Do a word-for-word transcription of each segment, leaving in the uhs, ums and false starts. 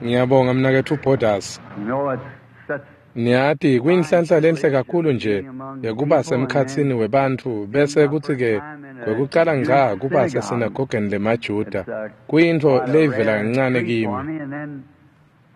Ngiyabonga mnaketfu Borders. Niyati kuyinhlanhla lenhle kakhulu nje yekuba semkhatsini webantfu bese kutsi-ke kwekucala ngca kuba sesinagogeni lemaJuda kuyintfo leyivela kancane kimi.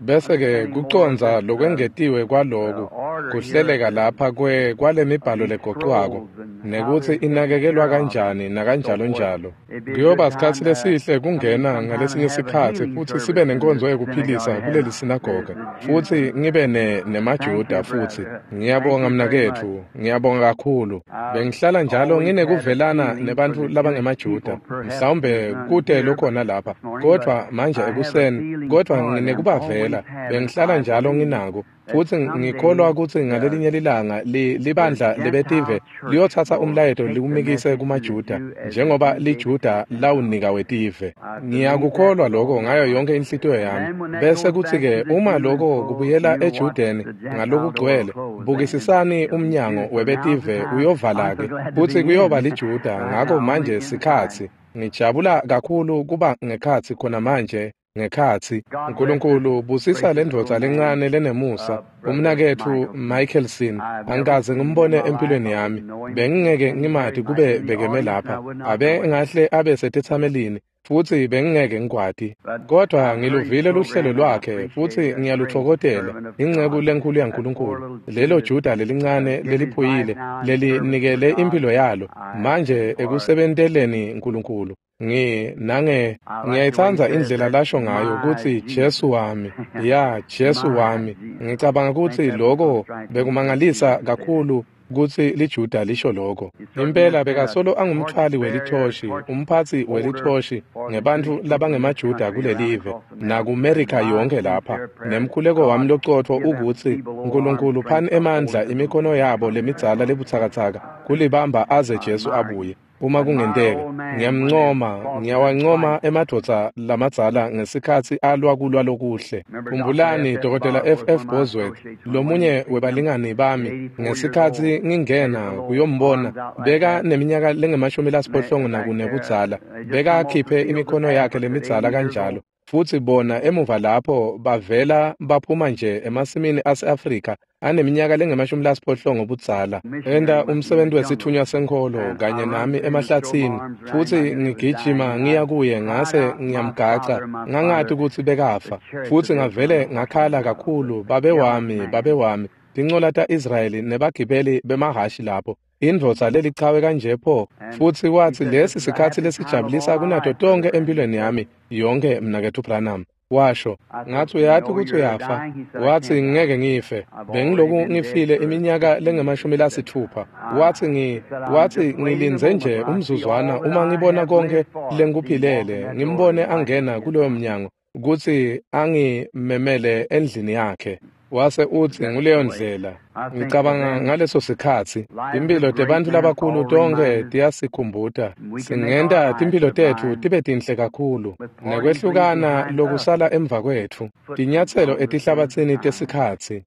Bese-ke kucondza lokwengetiwe kwaloku kuhleleka lapha kwe kwalemibhalo legocwako nekutsi inakekelwa kanjani nakanjalo njalo. Kuyoba sikhatsi lesihle kungena ngalesinye sikhatsi futsi sibe nenkonzo yekuphilisa kuleli sinagoge futsi ngibe ne nemaJuda futsi. Ngiyabonga mnaketfu, ngiyabonga kakhulu. Bengihlala njalo nginekuvelana nebantfu labangemaJuda, mhlawumbe kute lokhona lapha, kodvwa manje ekuseni, kodvwa nginekubavela, bengihlala njalo nginako. Futsi ngikholwa kutsi ngalelinye lilanga li, libandla lebetive liyotsatsa umlayeto liwumikise kumaJuda njengoba liJuda lawunika wetive. Ngiyakukholwa lokho ngayo yonke inhlitiyo yami. Bese kutsi-ke uma lokho kubuyela eJudeni ngalokugcwele, bukisisani umnyango webetive uyovala-ke futsi kuyoba liJuda. Ngako manje sikhatsi. Ngijabula kakhulu kuba ngekhatsi khona manje. Ngekhatsi Nkulunkulu busisa lendvodza lencane lenemusa umnaketfu Michelson. Angikaze ngimbone empilweni yami, bengingeke ngimati kube bekeme lapha, abe ngahle abe setetsamelini futsi bengingeke ngikwati, kodvwa ngiluvile luhlelo lwakhe futsi ngiyalutfokotela. Inceku lenkhulu yaNkulunkulu, lelo Juda lelincane leliphuyile lelinikele impilo yalo manje ekusebenteleni Nkulunkulu. Ngi nange ngiyayitsandza indlela lasho ngayo kutsi Jesu wami, ya Jesu wami. Ngicabanga kutsi lokho bekumangalisa kakhulu kutsi liJuda lisho lokho. Impela bekasolo angumthwali welithoshi, umphatsi welithoshi ngebantfu labangemaJuda kulelive nakuMerika yonke lapha. Nemkhuleko wami locotfo ukutsi Nkulunkulu phani emandla imikhono yabo lemidzala lebutsakatsaka kulibamba aze Jesu abuye. Uma kungenteka, ngiyamncoma, ngiyawancoma emadvodza lamadzala ngesikhatsi alwa kulwa lokuhle. Khumbulani Dokotela F F Bosworth, lomunye webalingani bami, ngesikhatsi ngingena kuyombona, beka neminyaka lengemashumi lasiphohlongo nakune budzala, beka akhiphe imikhono yakhe lemidzala kanjalo. Futsi bona emuva lapho bavela baphuma nje emasimini ase-Afrika aneminyaka lengemashumi lasiphohlongo budzala, enta umsebenzi wesithunywa senkholo kanye nami emahlatsini, futsi ngigijima ngiya kuye ngase ngiyamgaca, ngangati kutsi bekafa, futsi ngavele ngakhala kakhulu, babe wami, babe wami, tincola ta-Israyeli nebagibeli bemahhashi lapho. Indvodza lelichawe kanje pho. Futsi watsi lesi sikhatsi lesijabulisa kunato tonke empilweni yami yonke mnaketfu Branham. Washo, ngathi uyati kutsi uyafa. Watsi ngeke ngife, bengiloku ngifile iminyaka lengemashumi lasitfupha. Watsi ngi watsi ngilindze nje umzuzwana uma ngibona konke lengikuphilele, ngimbone angena kuloyo mnyango kutsi angimemele endlini yakhe. Wase utsi nguleyo ndlela. Ngicabanga ngaleso sikhatsi timphilo tebantfu labakhulu tonke tiyasikhumbuta. Singenta timphilo tetfu tibe tinhle kakhulu nekwehlukana lokusala emva kwetfu, tinyatselo etihlabatsini tesikhatsi.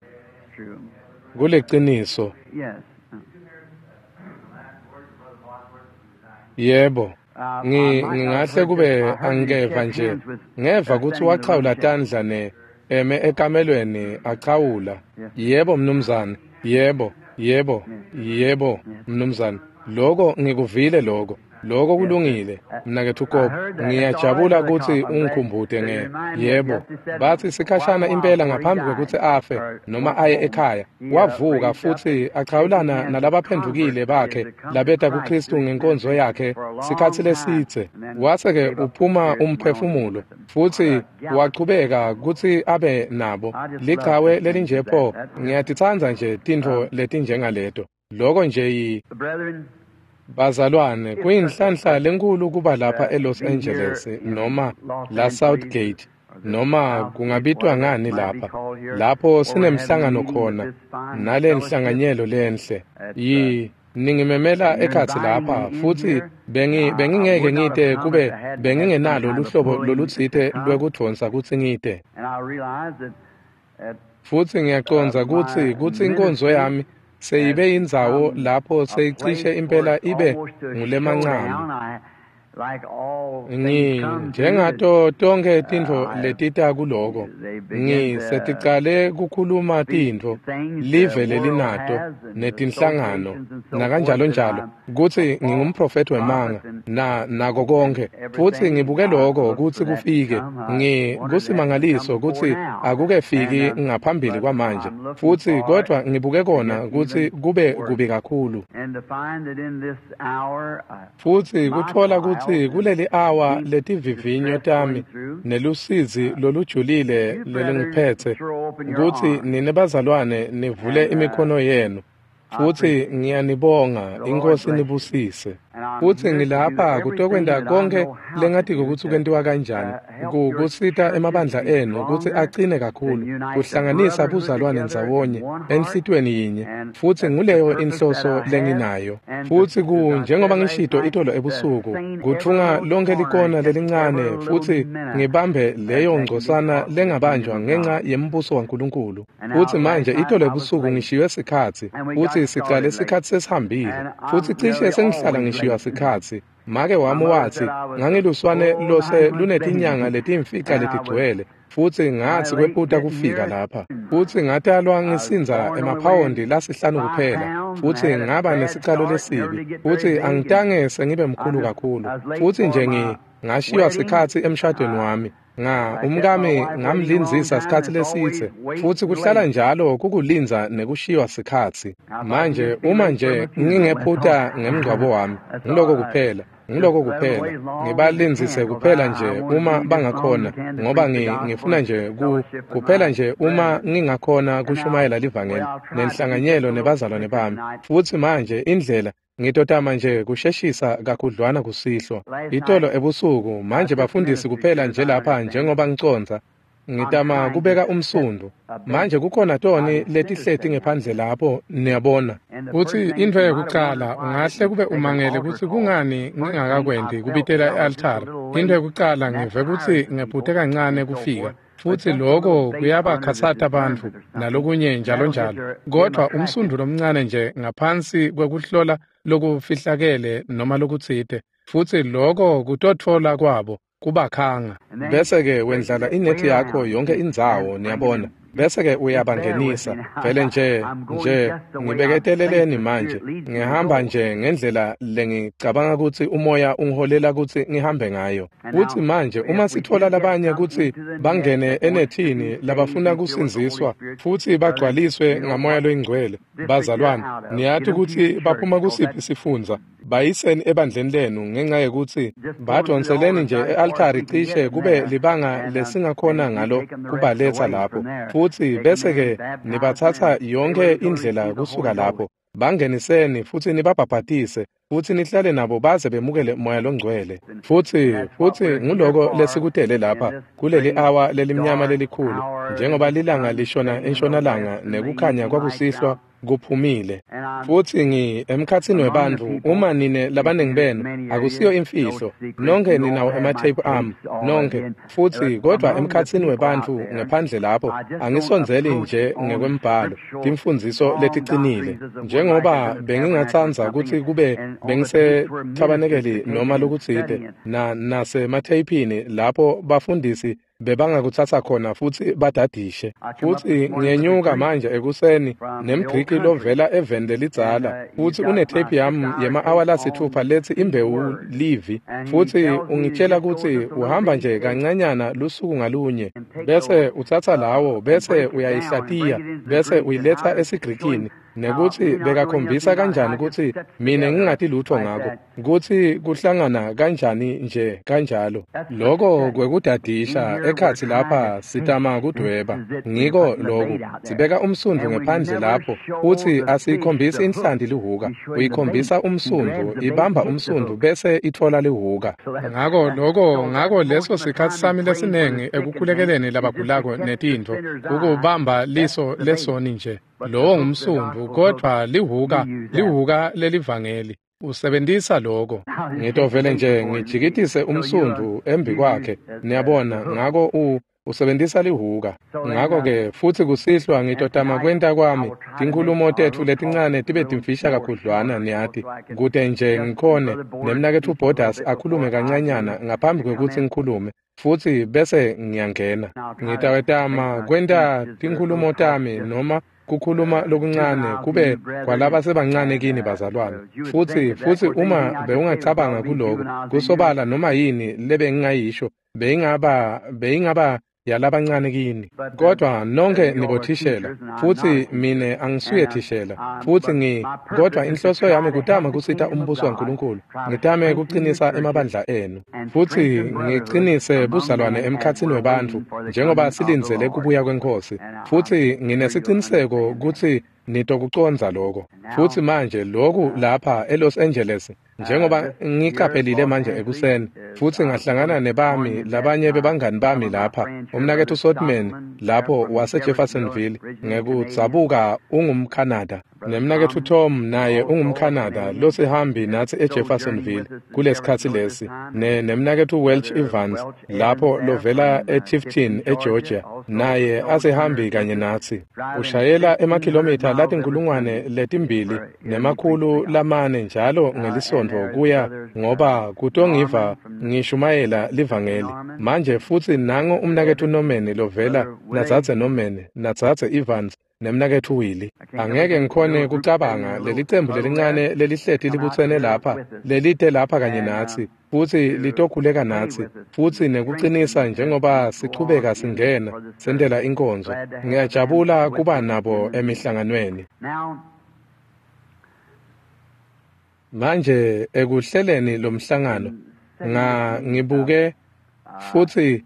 Kuliciniso. Yebo. Ngi ngingahle kube angikeva nje, ngeva kutsi wachawula tandla ne eme ekamelweni achawula. Yebo mnumzane, yebo, yebo, yebo mnumzane. Lokho ngikuvile lokho. Lokho kulungile mnaketfu Kobe. Ngiyajabula kutsi ungikhumbute nge yebo. Batsi sikhashana impela ngaphambi kwekutsi afe noma aye ekhaya, wavuka futsi achawulana nalabaphendvukile bakhe labeta kuKristu ngenkonzo yakhe sikhatsi lesidze. Wase-ke uphuma umphefumulo futsi wachubeka kutsi abe nabo. Lichawe lelinje pho, ngiyatitsandza nje tintfo letinjengaleto. Lokho nje yi Bazalwane, kuyinhlanhla lenkhulu kuba lapha eLos Angeles noma la Southgate noma kungabitwa ngani lapha, lapho sinemhlangano khona nalenhlanganyelo lenhle. Yi ningimemela ekhatsi lapha futsi bengi bengingeke ngite kube bengingenalo luhlobo lolutsite lwekudvonsa kutsi ngite. Futsi ngiyacondza kutsi kutsi inkonzo yami seyibe indzawo lapho seyicishe impela ibe ngulemancane. Ngi njengato tonkhe tintfo letita kuloko, ngi seticale kukhuluma tintfo live lelinato netinhlangano nakanjalonjalo kutsi ngingumprofethi wemanga na nako konkhe, futsi ngibuke loko kutsi kufike. Ngi kusimangaliso kutsi akukefiki ngaphambili kwamanje, futsi kodvwa ngibuke kona kutsi kube kubi kakhulu. Futsi kutfola kutsi kuleli awa letivivinyo tami nelusizi lolujulile lelungiphetse, kutsi nine bazalwane nivule imikhono yenu, futsi ngiyanibonga, iNkhosi nibusise. Futsi ngilapha kutokwenta konkhe lengatiko kutsi kwentiwa kanjani, kusita emabandla enu kutsi acine kakhulu, kuhlanganisa buzalwane ndzawonye enhlitiyweni yinye, futsi nguleyo inhloso lenginayo. Futsi ku njengoba ngishito itolo ebusuku, kutfunga lonkhe likona lelincane futsi ngibambe leyo ngcosana lengabanjwa ngenxa yembuso waNkulunkulu. Futsi manje itolo ebusuku ngishiywe sikhatsi, futsi sicale sikhatsi sesihambile, futsi cishe sengihlala ngishiywa sikhatsi. Make wami watsi ngangiluswane lose lunetinyanga letimfica letigcwele, futsi ngatsi kwephuta kufika lapha. Futsi ngatalwa ngisindza emaphawondi lasihlanu kuphela, futsi ngaba nesicalo lesibi, futsi angitange sengibe mkhulu kakhulu. Futsi nje ngi ngashiywa sikhatsi emshadweni wami. Nga umkami ngamlindzisa sikhatsi lesitse, futsi kuhlala njalo kukulindza nekushiywa sikhatsi. Manje uma nje ngingephuta ngemngcwabo wami, ngiloko kuphela, ngiloko kuphela, ngibalindzise kuphela nje uma bangakhona, ngoba ngi ngifuna nje ku kuphela nje uma ngingakhona kushumayela livangeli nenhlanganyelo nebazalwane bami. Futsi manje indlela ngitotama nje kusheshisa kakhudlwana kusihlwa. Itolo ebusuku manje bafundisi kuphela nje lapha njengoba ngicondza, ngitama kubeka umsundu. Manje kukhona toni letihleti ngephandle lapho, niyabona. Futsi intfo yekucala ungahle kube umangele kutsi kungani ngingakakwenti kubitela e-altari. Intfo yekucala ngive kutsi ngephute kancane kufika, futsi loko kuyabakhatsata bantfu nalokunye njalo njalo. Kodvwa umsundu lomncane nje ngaphansi kwekuhlola lokufihlakele noma lokutsite, futsi loko kutotfola kwabo kubakhanga. Bese-ke wendlala inethi yakho yonke indzawo, niyabona. Bese-ke uyabangenisa. Vele nje nje ngibeketeleleni manje, ngihamba nje ngendlela lengicabanga kutsi umoya ungiholela kutsi ngihambe ngayo. Futsi manje uma sitfola labanye kutsi bangene enethini labafuna kusindziswa futsi bagcwaliswe ngamoya loyingcwele, bazalwane, niyati kutsi baphuma kusiphi sifundza, bayiseni ebandleni lenu ngenxa yekutsi badonseleni nje e-altari cishe kube libanga lesingakhona ngalo kubaletsa lapho, futsi bese-ke nibatsatsa yonke indlela kusuka lapho, bangeniseni futsi nibabhabhatise, futsi nihlale nabo baze bemukele moya longcwele. Futsi futsi nguloko lesikutele lapha kuleli awa lelimnyama lelikhulu, njengoba lilanga lishona entshonalanga nekukhanya kwakusihlwa kuphumile. Futsi ngi emkhatsini webantfu, uma nine labaningi benu, akusiyo imfihlo, nonke ninawo ematheyiphu ami, nonke. Futsi kodvwa emkhatsini webantfu ngephandle lapho, angisondzeli nje ngekwembhalo, timfundziso leticinile. Njengoba bengingatsandza kutsi kube bengisethabanekeli noma lokutsite, na nasematheyiphini lapho bafundisi bebangakutsatsa khona futsi badadishe. Futsi ngiyenyuka manje ekuseni nemGriki lovela eveni lelidzala, futsi unetheyiphu yami yema-awa lasitfupha letsi imbewu livi, futsi ungitshela kutsi uhamba nje kancanyana lusuku ngalunye, bese utsatsa lawo, bese uyayihlatiya, bese uyiletsa esiGrikini, nekutsi bekakhombisa kanjani kutsi mine ngingati lutho ngako, kutsi kuhlangana kanjani nje kanjalo. Loko kwekudadisha ekhatsi lapha sitama kudweba. Ngiko loku, sibeka umsundvu ngephandle lapho, futsi asiyikhombisi inhlanti lihuka, uyikhombisa umsundvu, ibamba umsundvu bese itfola lihuka. Ngako loko ngako leso sikhatsi sami lesinengi ekukhulekeleni labagulako netintfo, ukubamba liso lesoni nje. Lowo ngumsundvu, kodvwa lihuka, lihuka lelivangeli. Usebentisa loko. Ngitovele nje ngijikitise umsundvu embi kwakhe, niyabona, ngako u Usebentisa lihuka. Ngako-ke futsi kusihlwa ngitotama kwenta kwami tinkhulumo tetfu letincane tibe timfisha kakhudlwana, niyati, kute nje ngikhone nemnaketfu Borders akhulume kancanyana ngaphambi kwekutsi ngikhulume, futsi bese ngiyangena. Ngitawetama kwenta tinkhulumo tami noma kukhuluma lokuncane kube kwalabasebancane kini bazalwane. Futsi futsi uma bewungacabanga kuloko, kusobala noma yini lebengingayisho beyingaba beyingaba yalabancane kini. Kodwa nonke nibothishela, futsi mine angisuye thishela, futsi ngi kodwa inhloso yami kutama kusita umbuso waNkulunkulu, ngitame kuqinisa emabandla enu, futsi ngiqinise buzalwane emkhatsini webantfu njengoba silindzele kubuya kweNkhosi. Futsi nginesiciniseko kutsi nitokucondza lokho. Futsi manje lokhu lapha eLos Angeles, njengoba ngiqaphelile manje ekuseni, futsi ngahlangana nebami labanye bebangani bami lapha, umnaketfu Sotman lapho wase Jeffersonville, ngekudzabuka ungumKhanada, nemnaketfu Tom naye ungumKhanada losihambi natsi eJeffersonville kulesikhatsi lesi, ne nemnaketfu Welch Evans lapho lovela eTifton eGeorgia, naye asihambi kanye natsi. Ushayela emakhilomitha latinkulungwane letimbili nemakhulu lamane njalo ngelisontfo kuya ngoba kutongiva ngishumayela livangeli. Manje futsi nango umnaketfu Norman lovela nadzadze Norman nadzadze Evans nemnaketfu Willie. Angeke ngikhone kucabanga lelicembu lelincane lelihleti libutsene lapha, lelite lapha kanye natsi, futsi litokhuleka natsi, futsi nekuqinisa njengoba sichubeka singena sentela inkonzo. Ngiyajabula kuba nabo emihlanganweni. Manje ekuhleleni lomhlangano nga ngibuke futsi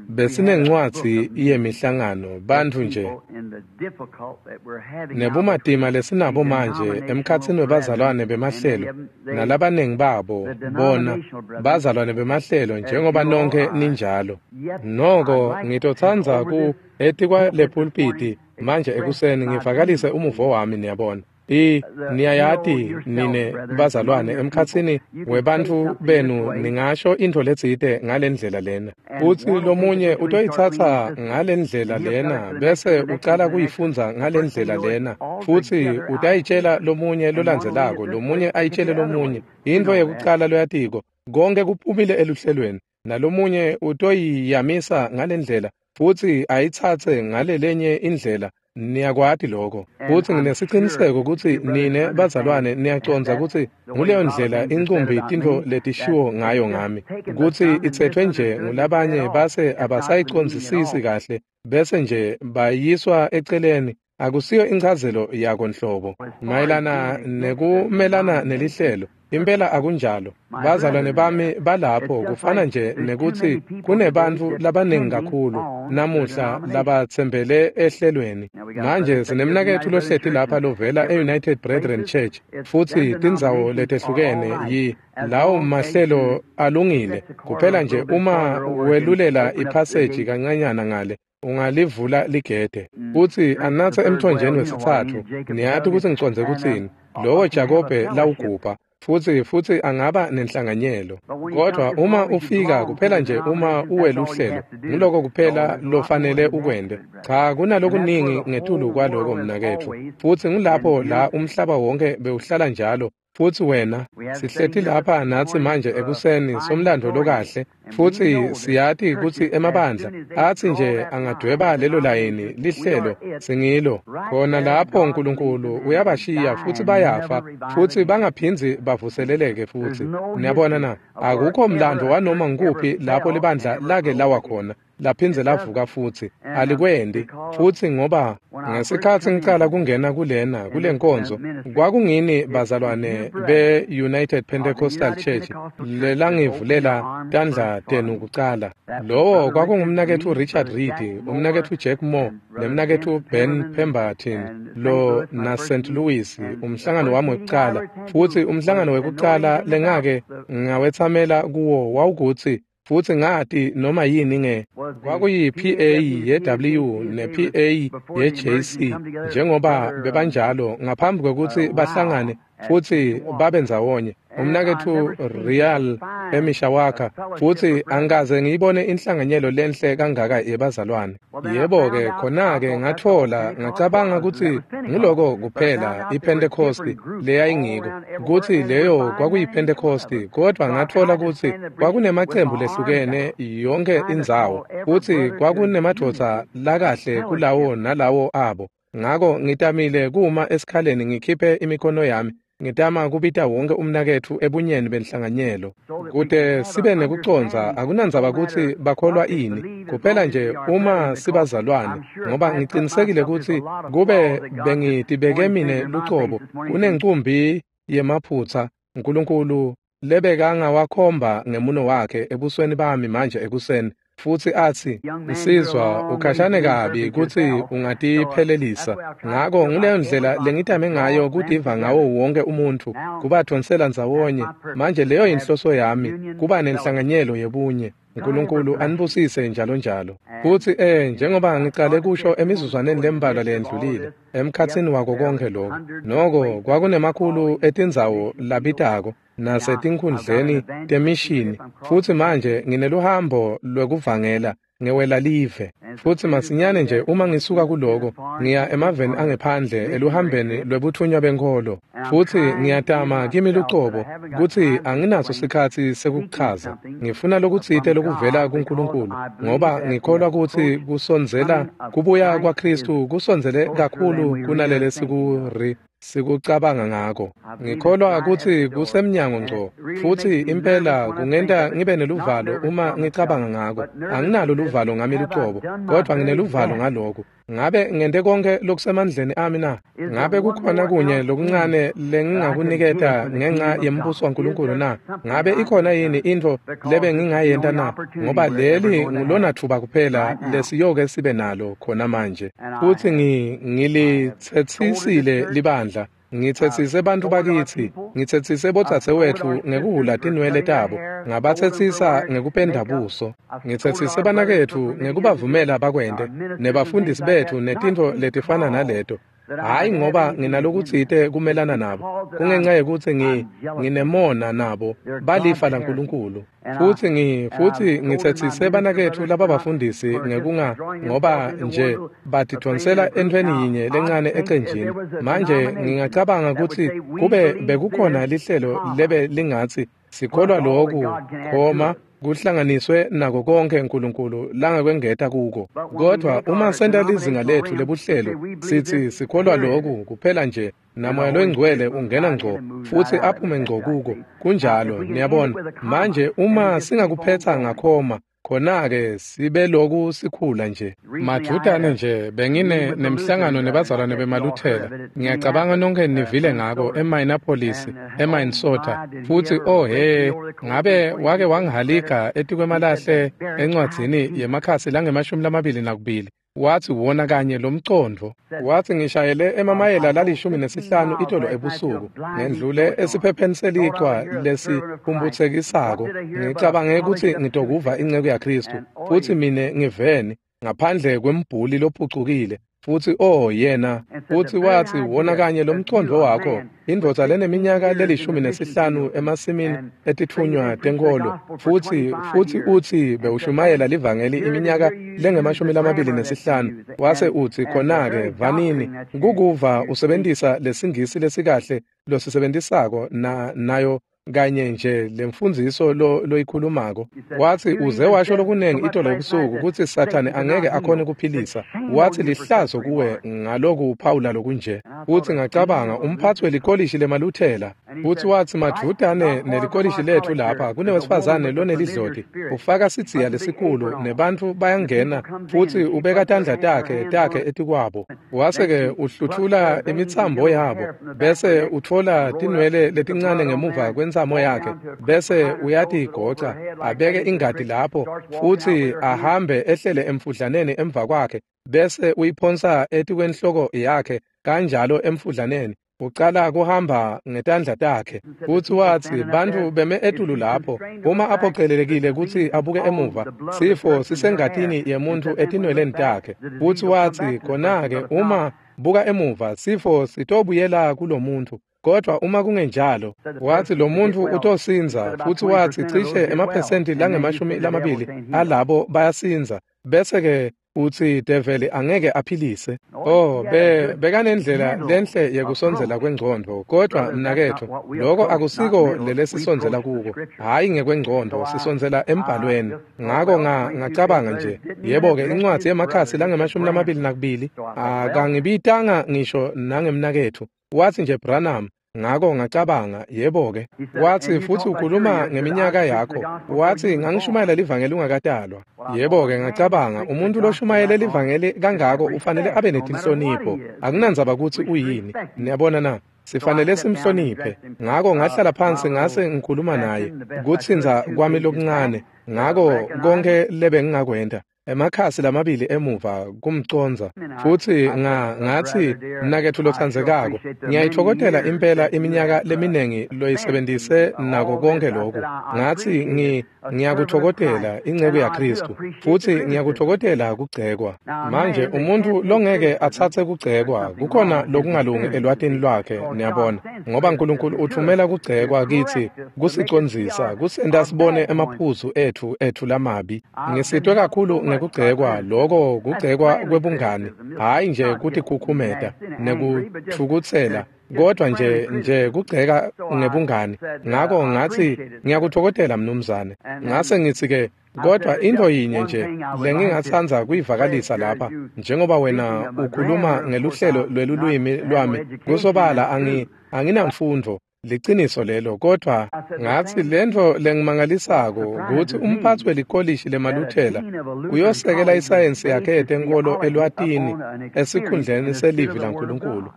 besinencwadzi yemihlangano bantfu nje nebumatima lesinabo manje emkhatsini webazalwane bemahlelo nalabaningi babo bona bazalwane bemahlelo njengoba nonke ninjalo. Noko ngitotsandza ku etikwa lepulpiti manje ekuseni ngivakalise umuvo wami, niyabona. I niyayati nine bazalwane emkhatsini webantfu benu ningasho intfo letsite ngalendlela lena, futsi lomunye utoyitsatsa ngalendlela lena bese ucala kuyifundza ngalendlela lena, futsi utayitshela lomunye lolandzelako, lomunye ayitshele lomunye. Intfo yekucala loyatiko konke kuphumile eluhlelweni, nalomunye utoyiyamisa ngalendlela futsi ayitsatse ngalelenye indlela. Niyakwati lokho. Futsi nginesiciniseko kutsi nine bazalwane niyacondza kutsi nguleyo ndlela incumbi tintfo letishiwo ngayo ngami, kutsi itsetfwe nje ngulabanye base abasayicondzisisi kahle bese nje bayiswa eceleni. Akusiyo inchazelo yako nhlobo mayelana nekumelana nelihlelo. Impela akunjalo. Bazalwane bami balapho kufana nje nekutsi kunebantfu labaningi kakhulu namuhla labatsembele ehlelweni. Manje sinemnaketfu lohleti lapha lovela e-United Brethren Church, futsi tindzawo letehlukene yi lawo mahlelo alungile kuphela nje uma welulela iphaseji kancanyana ngale ungalivula ligede futsi anatse emthonjeni wesitsatfu. Niyati kutsi ngicondze kutsini, lowo Jakobe lawugubha, futsi futsi angaba nenhlanganyelo. Kodwa uma ufika kuphela nje uma uweluhlelo, nguloko kuphela lofanele ukwente. Cha, kunalokuningi ngetulu kwaloko mnaketfu, futsi ngulapho la umhlaba wonke bewuhlala njalo. Futsi wena sihleti lapha natsi manje ekuseni somlando lokahle, futsi siyati kutsi emabandla atsi nje angadweba lelo layini lihlelo singilo khona lapho uNkulunkulu uyabashiya futsi bayafa futsi bangaphindzi bavuseleleke futsi. Niyabona na, akukho mlando wanoma ngikuphi lapho libandla lake lawa khona laphindze lavuka futsi alikwendi. Futsi ngoba ngesikhatsi ngicala kungena kulena kulenkonzo, kwakungini bazalwane be-United Pentecostal Church lelangivulela tandla tenu kucala. Lowo kwakungumnaketfu Richard Reed, umnaketfu Jack Moore, nemnaketfu Ben Pemberton lo na Saint Louis, umhlangano wami wekucala. Futsi umhlangano wekucala lengake ngawetsamela kuwo wawukutsi futsi ngati noma yini nge kwakuyi P A ye W ne P A ye J C njengoba bebanjalo ngaphambi kwekutsi bahlangane futsi babe ndzawonye. Umnaketfu Real eMishawaka, futsi angikaze ngiyibone inhlanganyelo lenhle kangaka yebazalwane. Yebo-ke, khona-ke ngatfola, ngacabanga kutsi nguloko kuphela iPhentekhosti leyayingiko, kutsi leyo kwakuyiPhentekhosti, kodvwa ngatfola kutsi kwakunemacembu lehlukene yonkhe indzawo, futsi kwakunemadvodza lakahle kulawo nalawo abo. Ngako ngitamile kuma esikhaleni ngikhiphe imikhono yami, ngitama kubita wonke umnaketfu ebunyeni benhlanganyelo kute sibe nekucondza. Akunandzaba kutsi bakholwa ini, kuphela nje uma sibazalwane, ngoba ngicinisekile kutsi kube bengitibeke mine lucobo kunencumbi yemaphutsa Nkulunkulu lebekangawakhomba ngemuno wakhe ebusweni bami manje ekuseni, futsi atsi, "Nsizwa, ukhashane kabi kutsi ungatiphelelisa." Ngako nguleyo ndlela lengitame ngayo kutiva ngawo wonke umuntfu, kubadvonsela ndzawonye. Manje leyo yinhloso yami, kuba nenhlanganyelo yebunye. Nkulunkulu anibusise njalo njalo. Futsi eh njengoba ngicale kusho emizuzwaneni lembalwa leyendlulile, emkhatsini wako konkhe lokho, noko kwakunemakhulu etindzawo labitako nasetinkhundleni temishini, futsi manje ngineluhambo lwekuvangela ngewela live. Futsi masinyane nje uma ngisuka kuloko, ngiya emaveni angephandle eluhambeni lwebuthunywa benkholo, futsi ngiyatama kimi lucobo kutsi anginaso sikhatsi sekuchaza. Ngifuna lokutsite lokuvela kuNkulunkulu, ngoba ngikholwa kutsi kusondzela kubuya kwaKhristu kusondzele kakhulu kunalele sikuri sikucabanga ngako. Ngikholwa kutsi kusemnyango ngco, futsi impela kungenta ngibe neluvalo uma ngicabanga ngako. Anginalo luvalo ngami lucobo, kodvwa ngineluvalo ngaloku. Ngabe ngente konke lokusemandleni ami na? Ngabe kukhona kunye lokuncane lengingakuniketa ngenxa yembuso waNkulunkulu na? Ngabe ikhona yini intfo lebe ngingayenta na? Ngoba leli ngulona thuba kuphela lesiyoke sibe nalo khona manje. Futsi ngilitsetsisile libandla, ngitsetsise bantfu bakitsi, ngitsetsise bodzadzewetfu ngekuhhula tinwele tabo, ngabatsetsisa ngekupenda buso, ngitsetsise banaketfu ngekubavumela bakwente, nebafundisi betfu netintfo letifana naleto. Hhayi ngoba nginalokutsite kumelana nabo, kungenxa yekutsi ngi nginemona nabo, balifa laNkulunkulu. Futsi ngi futsi ngitsetsise banaketfu lababafundisi ngekunga, ngoba nje batidvonsela entfweni yinye lencane ecenjini. Manje ngingacabanga kutsi kube bekukhona lihlelo lebe lingatsi sikholwa loku, khoma kuhlanganiswe nako konke Nkulunkulu langakwengeta kuko. Kodvwa uma senta lizinga letfu lebuhlelo, sitsi sikholwa loku kuphela nje, naMoya loyiNgcwele ungena ngco futsi aphume ngco kuko. Kunjalo, niyabona. Manje uma singakuphetsa ngakhoma, khona-ke sibe loku sikhula nje. Madvutane nje bengine nemhlangano nebazalwane bemaLuthela. Ngiyacabanga nonke nivile ngako eMinneapolis, eMinnesota. Futsi oh he, ngabe wake wangihalika etikwemalahle encwadzini yemakhasi langemashumi lamabili nakubili. Watsi wona kanye lomcondvo. Watsi ngishayele emamayela lalishumi nesihlanu itolo ebusuku, ngendlule esiphepheni selichwa lesiphumphutsekisako. Ngicabange kutsi ngitokuva inceku yaKhristu, futsi mine ngiveni ngaphandle kwembhuli lophucukile. Futsi oh yena, futsi watsi wona kanye lomcondvo wakho, indvodza leneminyaka lelishumi nesihlanu emasimini etitfunywa tenkholo, futsi futsi utsi bewushumayela livangeli iminyaka lengemashumi lamabili nesihlanu. Wase utsi khona-ke vanini kukuva usebentisa lesingisi lesikahle losisebentisako na nayo kanye nje lemfundziso lo loyikhulumako. Watsi uze washo lokunengi itolo ebusuku kutsi Sathane angeke akhone kuphilisa. Watsi lihlazo kuwe ngaloku uphawula lokunje. Futsi ngacabanga umphatsi welikolishi lemaLuthela. Futsi watsi madvutane nelikolishi letfu lapha kunewesifazane lonelidloti, ufaka sidziya lesikhulu nebantfu bayangena futsi ubeka tandla takhe takhe etikwabo. Wase-ke uhlutfula imitsambo yabo, bese utfola tinwele letincane ngemuva kwentsamo yakhe, bese uyatigoca, abeke ingati lapho, futsi ahambe ehlele emfudlaneni emva kwakhe, bese uyiphonsa etikwenhloko yakhe kanjalo emfudlaneni. Ucala kuhamba ngetandla takhe. Futsi watsi bantfu beme etulu lapho, uma aphocelelekile kutsi abuke emuva, sifo sisengatini yemuntfu etinweleni takhe. Futsi watsi khona-ke uma buka emuva, sifo sitobuyela kulomuntfu. Kodwa uma kungenjalo, wathi lo muntu utosindza, futhi wathi cishe emaphesenti langemashumi lamabili alabo bayasinza, bese-ke uthi develi angeke aphilise. Oh, be bekanendlela lenhle yekusondzela kwengcondvo, kodwa mnaketfu, lokho akusiko lelesisondzela kuko. Hhayi ngekwengcondvo, sisondzela embhalweni. Ngako nga ngacabanga nje, yebo-ke incwadzi yemakhasi langemashumi lamabili nakubili, akangibitanga ngisho nangemnaketfu. Wathi nje Branham. Ngako ngacabanga, yebo-ke. Wathi futhi ukhuluma ngeminyaka yakho. Wathi ngangishumayela livangeli ungakatalwa. Yebo-ke ngacabanga, umuntu loshumayele livangeli kangako ufanele abe netinhlonipho. Akunandzaba kutsi uyini. Niyabona na? Sifanele simhloniphe. Ngako ngahlala phansi ngase ngikhuluma naye kutsintsa kwami lokuncane. Ngako konke lebengingakwenta emakhasi lamabili emuva kumcondza, futhi nga ngathi mnaketfu lotsandzekako, ngiyayitfokotela impela iminyaka leminingi loyisebentise nako konke lokhu. Ngathi ngi ngiyakutfokotela inceku yaKristu, futhi ngiyakutfokotela kugcekwa. Manje umuntu longeke atsatse kugcekwa, kukhona lokungalungi elwatini lwakhe, niyabona, ngoba uNkulunkulu uthumela kugcekwa kithi kusicondzisa, kusenta sibone emaphuzu etfu etfu lamabi. Ngisitwe kakhulu ngekugcekwa, lokho kugcekwa kwebungani, hhayi nje kutikhukhumeta nekutfukutsela, kodwa nje nje kugceka ngebungani. Ngako ngathi ngiyakutfokotela mnumzane. Ngase ngithi ke, kodwa into yinye nje lengingatsandza kuyivakalisa lapha, njengoba wena ukhuluma ngeluhlelo lwelulwimi lwami, kusobala angi anginamfundvo. Liciniso lelo, kodwa ngathi lento lengimangalisako ukuthi umphathi welikolishi lemaluthela uyosekela isayensi yakhe yetenkolo elwatini esikhundleni selivi laNkulunkulu.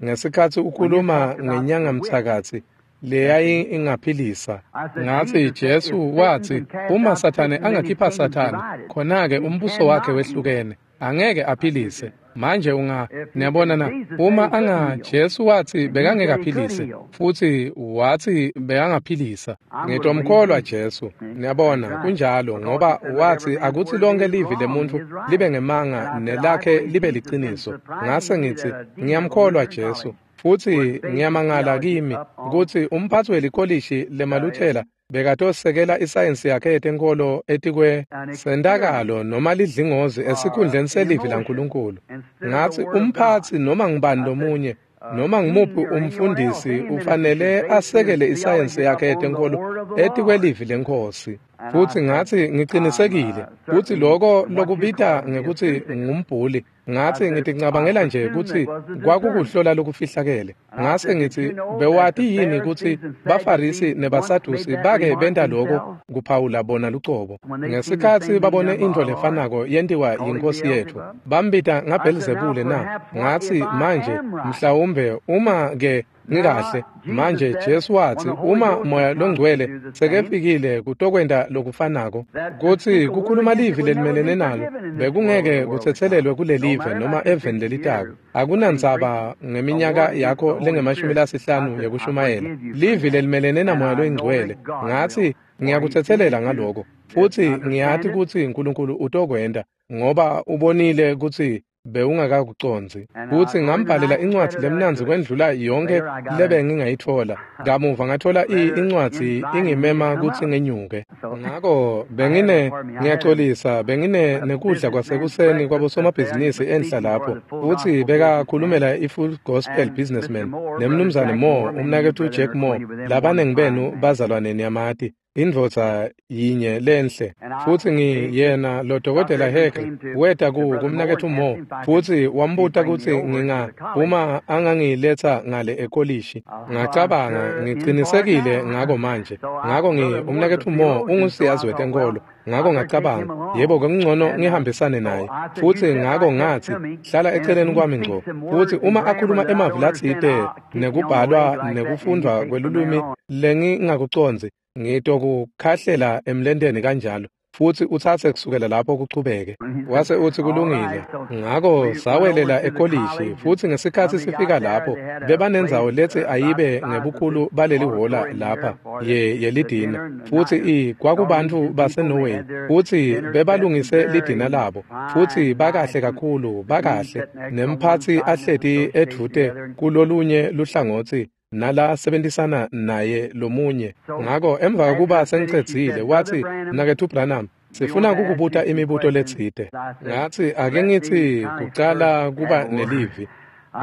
Ngesikhatsi ukhuluma ngenyangamthakathi leyayi ingaphilisa, ngathi Jesu wathi uma Sathane angakhipha Sathane, khona-ke umbuso wakhe wehlukene, angeke aphilise. Manje unga niyabona na, uma anga Jesu wathi bekangeke aphilise, futhi wathi bekangaphilisa. Ngitomkholwa Jesu, niyabona, kunjalo, ngoba wathi akuthi lonke livi lemuntu libe ngemanga nelakhe libe liciniso. Ngase ngithi ngiyamkholwa Jesu, futhi ngiyamangala kimi kutsi umphathi welikolishi lemaluthela bekatosekela isayensi yakhe yetenkolo etikwe sentakalo noma lidlingozi esikhundleni selivi laNkulunkulu. Ngathi umphathi noma ngubani lomunye noma ngumuphi umfundisi ufanele asekele isayensi yakhe yetenkolo etikwelivi leNkhosi. Futhi ngathi ngicinisekile kutsi lokho lokubita ngekutsi ngumbhuli, ngathi ngiticabangela nje kutsi kwakukuhlola lokufihlakele. Ngase ngithi bewati yini kutsi baFarisi nebaSadusi bake benta lokho kuphawula bona lucobo ngesikhatsi babone intfo lefanako yentiwa yiNkhosi yetfu, bambita ngaBhelzebule na? Ngathi manje mhlawumbe uma ke ngikahle. Manje Jesu wathi uma Moya loNgcwele sekefikile kutokwenta lokufanako, kutsi kukhuluma livi lelimelene nalo bekungeke kutsetselelwe kulelive noma eveni lelitako. Akunandzaba ngeminyaka yakho lengemashumi lasihlanu yekushumayela, livi lelimelene naMoya loNgcwele. Ngathi ngiyakutsetselela ngaloko, futhi ngiyati kutsi uNkulunkulu utokwenta, ngoba ubonile kutsi bewungakakucondzi. Kutsi ngambhalela incwadzi lemnandzi kwendlula yonke lebe ngingayitfola. Kamuva ngatfola incwadzi ingimema kutsi ngenyuke. Ngako bengine ngiyaxolisa, bengine nekudla kwasekuseni kwabosomabhizinisi enhla lapho, futsi bekakhulumela i-Full Gospel Businessman nemnumzane Moore, umnaketfu Jack Moore, labanengi benu bazalwane niyamati, indvodza yinye lenhle. Futhi ngiyena lo dokotela Hegel weta ku kumnaketfu Moore, futhi wambuta kutsi nginga uma angangiletha ngale ekolishi. Ngacabanga ngicinisekile ngako manje. Ngako ngi umnaketfu Moore ungusiyazi wetenkolo. Ngako ngacabanga, yebo kungcono ngihambisane naye. Futhi ngako ngathi hlala eceleni kwami ngco. Futhi uma akhuluma emavi latsite nekubhalwa nekufundwa kwelulwimi lengingakucondzi, ngitokukhahlela emlenteni kanjalo, futhi utsatse kusukela lapho kuchubeke. Wase uthi kulungile. Ngako sawelela ekolishi, futhi ngesikhatsi sifika lapho bebanendzawo letsi ayibe ngebukhulu baleli hhola lapha ye yelidina, futhi i kwakubantfu baseNorway, futhi bebalungise lidina labo, futhi bakahle kakhulu, bakahle, nemphatsi ahleti edvute kulolunye luhlangotsi nalasebentisana naye lomunye. Ngako emva kokuba sengicedzile watsi, Mnaketfu Branham, sifuna kukubuta imibuto letsite. Ngatsi, ake ngitsi kucala kuba nelivi.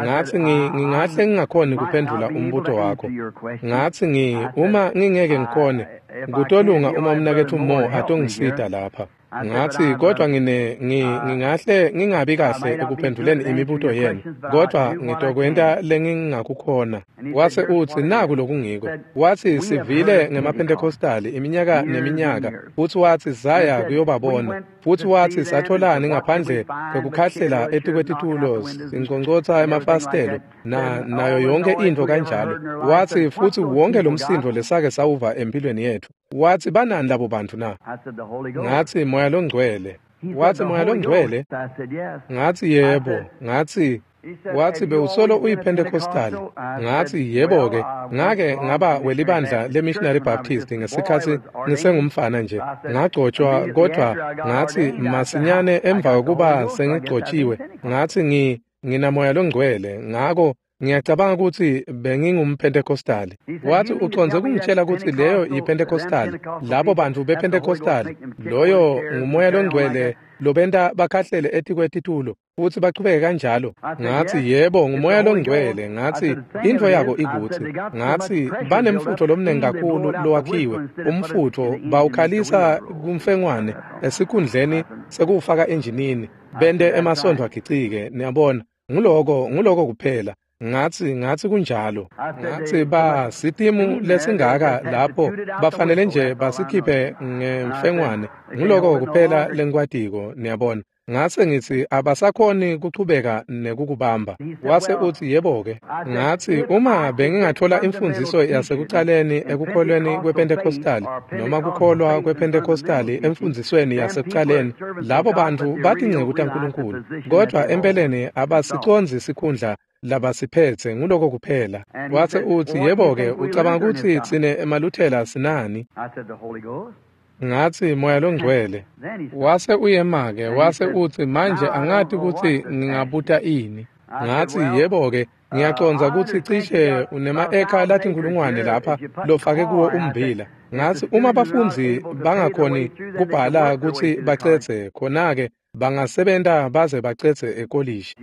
Ngatsi ngingahle ngingakhoni kuphendvula umbuto wakho. Ngatsi ngi uma ngingeke ngikhone, kutolunga uma umnaketfu Mo atongisita lapha. Ngatsi kodwa ngine ngingahle ngingabi kahle ekuphendvuleni imibuto yenu, kodwa ngitokwenta lengingakukhona. Wase utsi naku lokungiko. Watsi sivile ngemaPentecostali iminyaka neminyaka, futsi watsi saya kuyobabona, futsi watsi satholani ngaphandle kwekukhahlela etikwetitulo sinconcotsa emafasitelo na nayo yonke intfo kanjalo. Watsi futsi wonke lomsindvo lesake sawuva empilweni yetfu. Watsi banani labo bantfu na? Ngatsi Moya loNgcwele. Watsi Moya loNgcwele? Ngatsi yebo. Ngatsi watsi bewusolo uyiPentecostali. Ngatsi yebo-ke, ngake ngaba welibandla leMissionary Baptist ngesikhatsi ngisengumfana nje. Ngagcotshwa kodwa ngatsi masinyane emva kokuba sengigcotshiwe ngatsi ngi nginaMoya loNgcwele, ngako ngiyacabanga kutsi bengingumpentecostali. Watsi ucondze kungitshela kutsi leyo yiPentecostali, labo bantfu bePentecostali, loyo nguMoya loNgcwele lobenta bakhahlele etikwetitulo futsi bachubeke kanjalo. Ngatsi yebo, nguMoya loNgcwele. Ngatsi intfo yako ikutsi, ngatsi banemfutfo lomnengi kakhulu lowakhiwe, umfutfo bawukhalisa kumfengwane esikhundleni sekuwufaka enjinini, bente emasondo agicike, niyabona. Nguloko nguloko kuphela. Ngatsi ngatsi kunjalo. Ngatsi ba sitimu lesingaka lapho bafanele nje basikhiphe ngemfengwane. Nguloko kuphela lengikwatiko, niyabona. Ngase ngitsi abasakhoni kuchubeka nekukubamba. Wase utsi yebo-ke. Ngatsi uma bengingathola imfundziso yasekucaleni ekukholweni kwePentecostali noma kukholwa kwePentecostali emfundzisweni yasekucaleni, labo bantfu batinceku taNkulunkulu, kodwa empeleni abasicondzi sikhundla labasiphetse, nguloko kuphela. Wase utsi yebo-ke, ucabanga kutsi tsine emaLuthela sinani? Ngatsi Moya loNgcwele. Wase uyema-ke, wase utsi manje angati kutsi ngingabuta ini. Ngatsi yebo-ke, ngiyacondza kutsi cishe unema-eka latinkhulungwane lapha lofake kuwo ummbila. Ngatsi uma bafundzi bangakhoni kubhala kutsi bacedze, khona-ke bangasebenta baze bacedze ekolishi.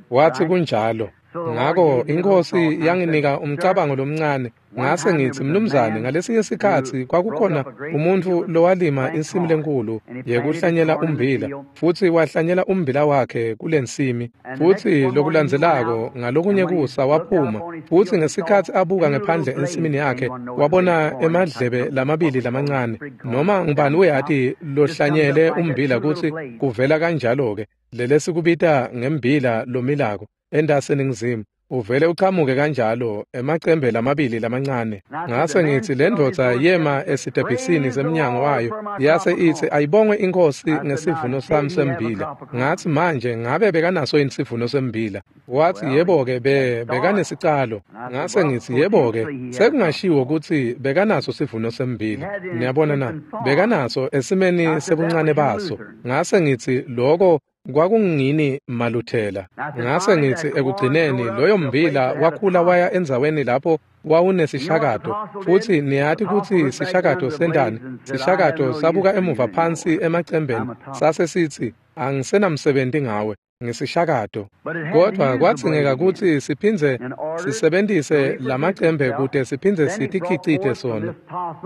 Watsi kunjalo. Ngako iNkhosi yanginika umcabango lomncane. Ngase ngitsi, mnumzane, ngalesinye sikhatsi kwakukhona umuntfu lowalima insimi lenkulu yekuhlanyela ummbila, futsi wahlanyela ummbila wakhe kulensimi. Futsi lokulandzelako ngalokunye kusa waphuma, futsi ngesikhatsi abuka ngephandle ensimini yakhe wabona emadlebe lamabili lamancane. Noma ngubani uyati lohlanyele ummbila kutsi kuvela kanjalo-ke lelesikubita ngembila lomilako entasi eningizimu, uvele uchamuke kanjalo emacembe lamabili lamancane. Ngase ngitsi le ndvodza yema esitebhisini semnyango wayo, yase itsi ayibongwe iNkhosi ngesivuno sami sembila. Ngatsi manje ngabe bekanaso yini sivuno sembila? Watsi yebo-ke, be bekanesicalo. Ngase ngitsi yebo-ke, sekungashiwo kutsi bekanaso sivuno sembila. Niyabona na? Bekanaso esimeni sebuncane baso. Ngase ngitsi loko kwakungini maLuthela. Ngase ngitsi ekugcineni loyo mbila wakhula waya endzaweni lapho wawunesishakato, futsi niyati kutsi sishakato sentani? Sishakato sabuka emuva phansi emacembeni sase sitsi angisenamsebenti ngawe, ngisishakato. Kodwa kwadzingeka kutsi siphindze sisebentise lamacembe kute siphindze sitikhicite sona.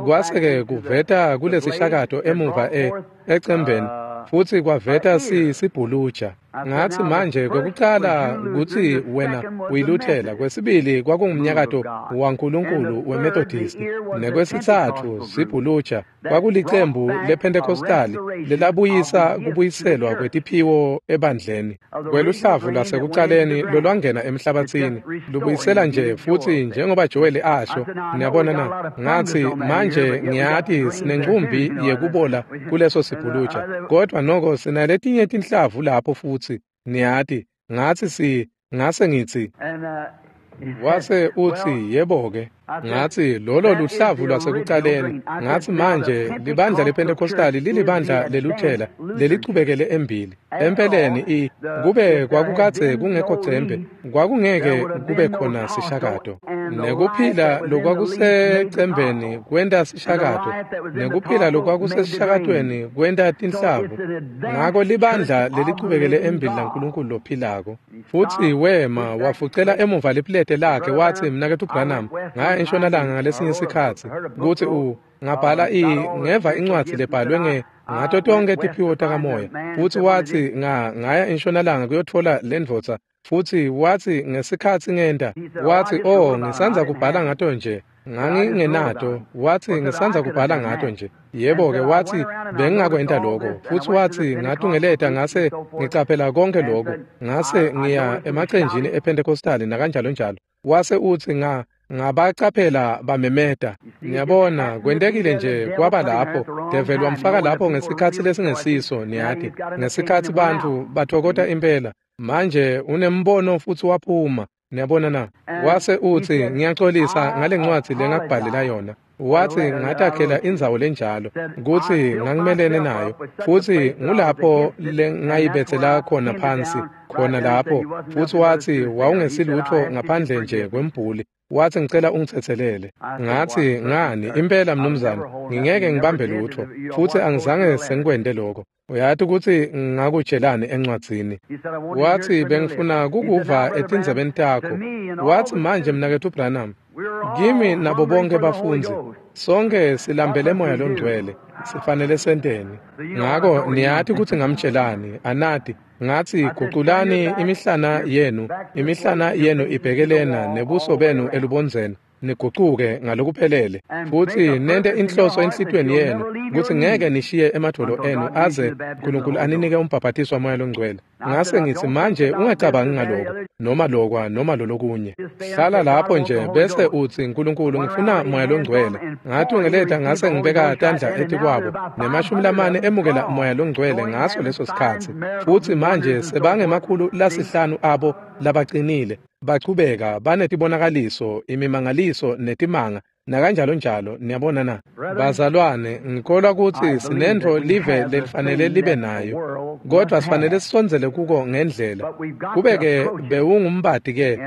Kwase-ke kuveta kulesishakato emuva e ecembeni, futsi kwaveta si sibhuluja. Ngatsi manje kwekucala kutsi wena uyiLuthela, kwesibili kwakungumnyakato waNkulunkulu weMethodist, nekwesitsatfu sibhuluja kwakulicembu lePentecostali lelabuyisa kubuyiselwa kwetiphiwo ebandleni. Kweluhlavu lwasekucaleni lolwangena emhlabatsini lubuyisela nje futsi njengoba Joel asho. Niyabona na? Ngatsi manje ngiyati sinencumbi yekubola kuleso sibhuluja, kodwa noko sinaletinye tinhlavu lapho futsi niyati. Ngatsi si ngase ngitsi wase utsi yebo-ke. Ngatsi lolo luhlavu lwasekucaleni. Ngatsi manje libandla lePentecostali lilibandla leLuthela lelichubekele embili. Empeleni i kube kwakukadze kungekho cembe, kwakungeke kube khona sishakato. Nekuphila lokwakusecembeni kwenta sishakato, nekuphila lokwakusesishakatweni kwenta tinhlavu. Ngako libandla lelichubekele embili laNkulunkulu lophilako. Futsi wema wafucela emuva lipulete lakhe watsi, Mnaketfu Branham, ngaya entshonalanga ngalesinye sikhatsi kutsi u ngabhala i ngeva incwadzi lebhalwe nge ngato tonkhe tiphiwo takamoya. Futsi watsi nga ngaya entshonalanga kuyotfola lendvodza. Futsi watsi ngesikhatsi ngenta, watsi oh ngisandza kubhala ngato nje, ngangingenato. Watsi ngisandza kubhala ngato nje. Yebo-ke, watsi bengingakwenta lokho. Futsi watsi ngatungeleta ngase ngicaphela konke lokho, ngase ngiya emacenjini ePentecostali nakanjalo njalo. Wase utsi nga ngabacaphela bamemeta. Niyabona, kwentekile nje kwaba lapho. Develi wamfaka lapho ngesikhatsi lesingesiso, niyati, ngesikhatsi bantfu bathokota impela. Manje unembono futsi waphuma. Niyabona na? Wase utsi ngiyaxolisa ngale ncwadzi lengakubhalela yona. Watsi ngatakhela indzawo lenjalo kutsi ngangimelene nayo, futsi ngulapho lengayibetsela khona phansi khona lapho. Futsi watsi wawungesilutfo ngaphandle nje kwembhuli. Watsi ngicela ungitsetselele. Ngatsi ngani impela mnumzane, ngingeke ngibambe lutfo, futsi angizange sengikwente lokho. Uyati kutsi ngakutshelani encwadzini. Watsi bengifuna kukuva etindzebeni takho. Watsi manje Mnaketfu Branham, kimi nabo bonke bafundzi, sonke silambele Moya loNgcwele, sifanele senteni? Ngako niyati kutsi ngamtshelani, anati. Ngatsi guculani imihlana yenu, imihlana yenu ibhekelena nebuso benu elubondzeni, nigucuke ngalokuphelele, futsi nente inhloso enhlitiyweni yenu kutsi ngeke nishiye emadvolo enu aze Nkulunkulu aninike umbhabhatiso waMoya loNgcwele. Ngase ngitsi manje ungacabangi ngaloko noma lokwa noma lolokunye. Hlala lapho nje bese utsi Nkulunkulu ngifuna Moya loNgcwele. Ngatungeleta ngase ngibeka tandla etikwabo nemashumi lamane emukela Moya loNgcwele ngaso leso sikhatsi. Futsi manje sebangemakhulu lasihlanu abo labacinile bachubeka banetibonakaliso, imimangaliso netimanga nakanjalo njalo. Niyabona na? Bazalwane, ngikholwa kutsi sinentfo live lelifanele libe nayo, kodvwa sifanele sisondzele kuko ngendlela. Kube-ke bewungumbati ke,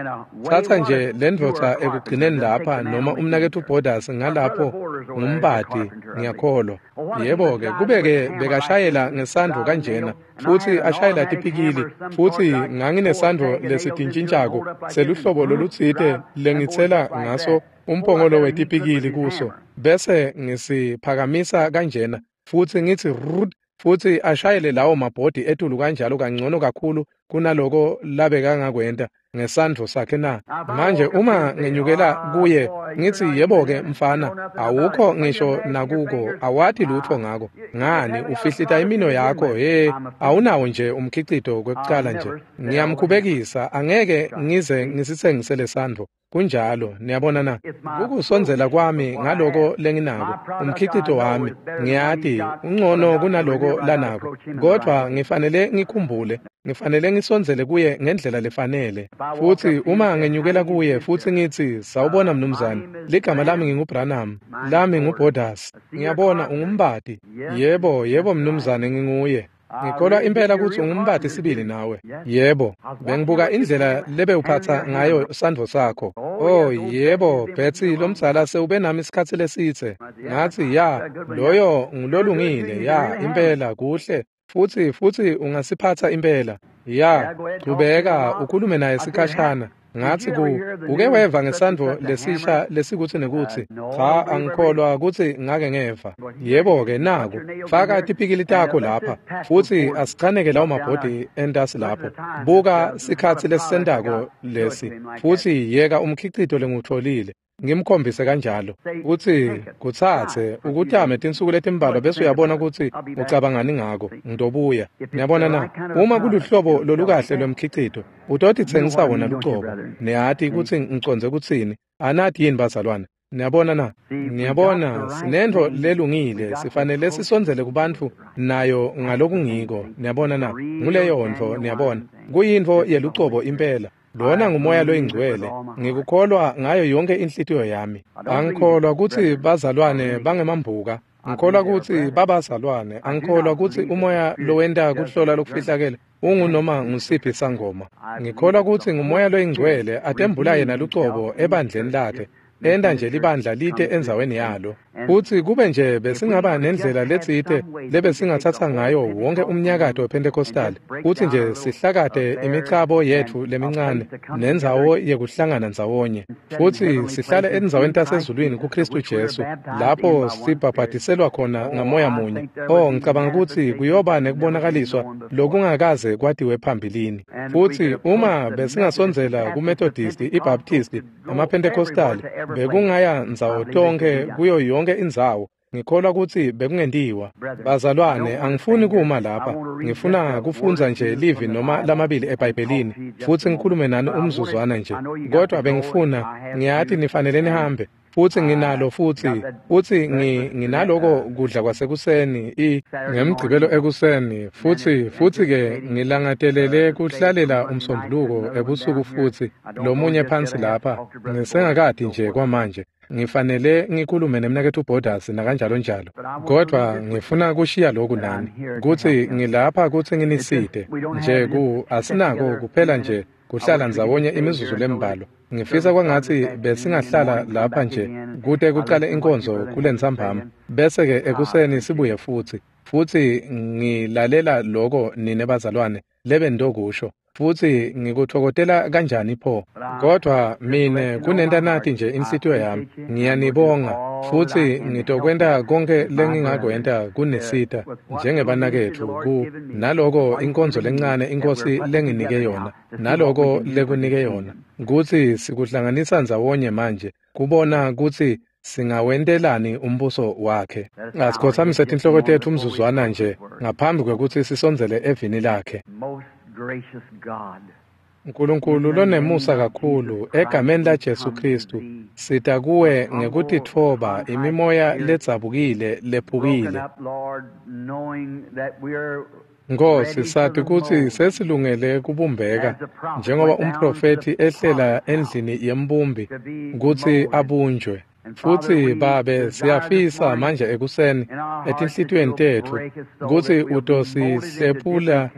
tsatsa nje lendvodza ekugcineni lapha noma umnaketfu Borders ngalapho ngumbati, ngiyakholwa. Yebo-ke, kube-ke bekashayela ngesandvo kanjena, futsi ashayela tipikili, futsi nganginesandvo lesitintjintjako seluhlobo lolutsite lengitsela ngaso umphongolo wetipikili kuso, bese ngisiphakamisa kanjena, futsi ngitsi rrrt, futsi ashayele lawo mabhodi etulu kanjalo kangcono kakhulu kunaloko labekangakwenta ngesandvo sakhe na. Manje uma ngenyukela kuye ngitsi yebo-ke mfana, awukho ngisho nakuko, awati lutfo ngako. Ngani ufihlita imino yakho, he, awunawo nje umkhicito kwekucala nje. Ngiyamkhubekisa, angeke ngize ngisitsengise lesandvo. Kunjalo, niyabona na? Kukusondzela kwami ngaloko lenginako, umkhicito wami, ngiyati ungcono kunaloko lanako, kodvwa ngifanele ngikhumbule, ngifanele ngisondzele kuye ngendlela lefanele. Futsi uma ngenyukela kuye futsi ngitsi sawubona mnumzane, ligama lami nginguBranham, lami nguBorders, ngiyabona ungumbati. Yebo, yebo mnumzane nginguye. Ngikholwa impela kutsi ungumbati sibili nawe. Yebo, bengibuka indlela lebewuphatsa ngayo sandvo sakho. Oh yebo, Betsy lomdzala sewube nami isikhatsi lesitse. Ngatsi ya, loyo ngulolungile, ya impela kuhle. Futsi futsi ungasiphatsa impela. Ya, chubeka ukhulume naye sikhashana. Ngatsi ku uke weva ngesandvo lesisha lesikutsi nekutsi cha, angikholwa kutsi ngake ngeva. Yebo-ke naku, faka tipikili takho lapha, futsi asichaneke lawo mabhodi entasi lapho. Buka sikhatsi lesisentako lesi, futsi yeka umkhicito lengiwutfolile. Ngimkhombise kanjalo kutsi kutsatse ukutame tinsuku letimbalwa bese uyabona kutsi ucabangani ngako. Ngidobuya. Niyabona na? Uma kuluhlobo lolukahle lwemkhicito, utotitsengisa wona lucobo. Niyati kutsi ngicondze kutsini? Anati yini bazalwane? Niyabona na? Niyabona, sinentfo lelungile, sifanele sisondzele kubantfu nayo ngalokungiko. Niyabona na? Nguleyo ntfo, niyabona. Kuyintfo yelucobo impela. Lona ngumoya loyingcwele. Ngikukholwa ngayo yonke inhlitiyo yami. Angikholwa kutsi bazalwane bangemambuka. Ngikholwa kutsi babazalwane. Angikholwa kutsi umoya lowenta kuhlola lokufihlakele ungunoma ngusiphi sangoma. Ngikholwa kutsi ngumoya loyingcwele atembula yena lucobo ebandleni lakhe, enta nje libandla lite endzaweni yalo. Futsi kube nje besingaba nendlela letsite lebesingatsatsa ngayo wonke umnyakato wePentecostal, futsi nje sihlakate imicabo yetfu lemincane nendzawo yekuhlangana ndzawonye, futsi sihlale endzaweni tasezulwini kuKhristu Jesu, lapho sibhabhadiselwa khona ngamoya munye. Oh, ngicabanga kutsi kuyoba nekubonakaliswa lokungakaze kwatiwe phambilini. Futsi uma besingasondzela kuMethodist, iBaptist, amaPentecostal, bekungaya ndzawo tonkhe kuyo yonke indzawo. Ngikholwa kutsi bekungentiwa. Bazalwane, angifuni kuma lapha. Ngifuna kufundza nje livi noma lamabili eBhayibhelini, futsi ngikhulume nani umzuzwana nje. Kodwa bengifuna, ngiyati nifanele nihambe, futsi nginalo futsi, futsi nginaloko kudla kwasekuseni, i ngemgcibelo ekuseni, futsi futsi ke ngilangatelele kuhlalela umsombuluko ebusuku futsi lomunye phansi lapha, ngisengakadi nje kwamanje. Ngifanele ngikhulume nemnaketfu Borders nakanjalo njalo. Kodwa ngifuna kushiya lokhu nani, kutsi ngilapha kutsi nginisite nje ku asinako kuphela nje kuhlala ndzawonye imizuzu lembalwa. Ngifisa kwangatsi besingahlala lapha nje kute kucale inkonzo kulentsambama, bese ke ekuseni sibuye futsi. Futsi ngilalela loko nine bazalwane lebendokusho, futsi ngikutfokotela kanjani pho. Kodwa mine kunenta nati nje inhlitiyo yami, ngiyanibonga, futsi ngitokwenta konke lengingakwenta kunisita njengebanaketfu ku naloko inkonzo lencane inkosi lenginike yona, naloko lekunike yona, kutsi sikuhlanganisa ndzawonye manje kubona kutsi singawentelani umbuso wakhe. Asikhotsamise tinhloko tetfu umzuzwana nje ngaphambi kwekutsi sisondzele evini lakhe. Nkulunkulu lonemusa kakhulu, egameni laJesu Khristu, sita kuwe ngekutitfoba imimoya ledzabukile lephukile. Nkosi, sati kutsi sesilungele kubumbeka, njengoba umprofethi ehlela endlini yembumbi kutsi abunjwe. Futsi Babe, siyafisa manje ekuseni etinhlitiyweni tetfu kutsi utosihlephula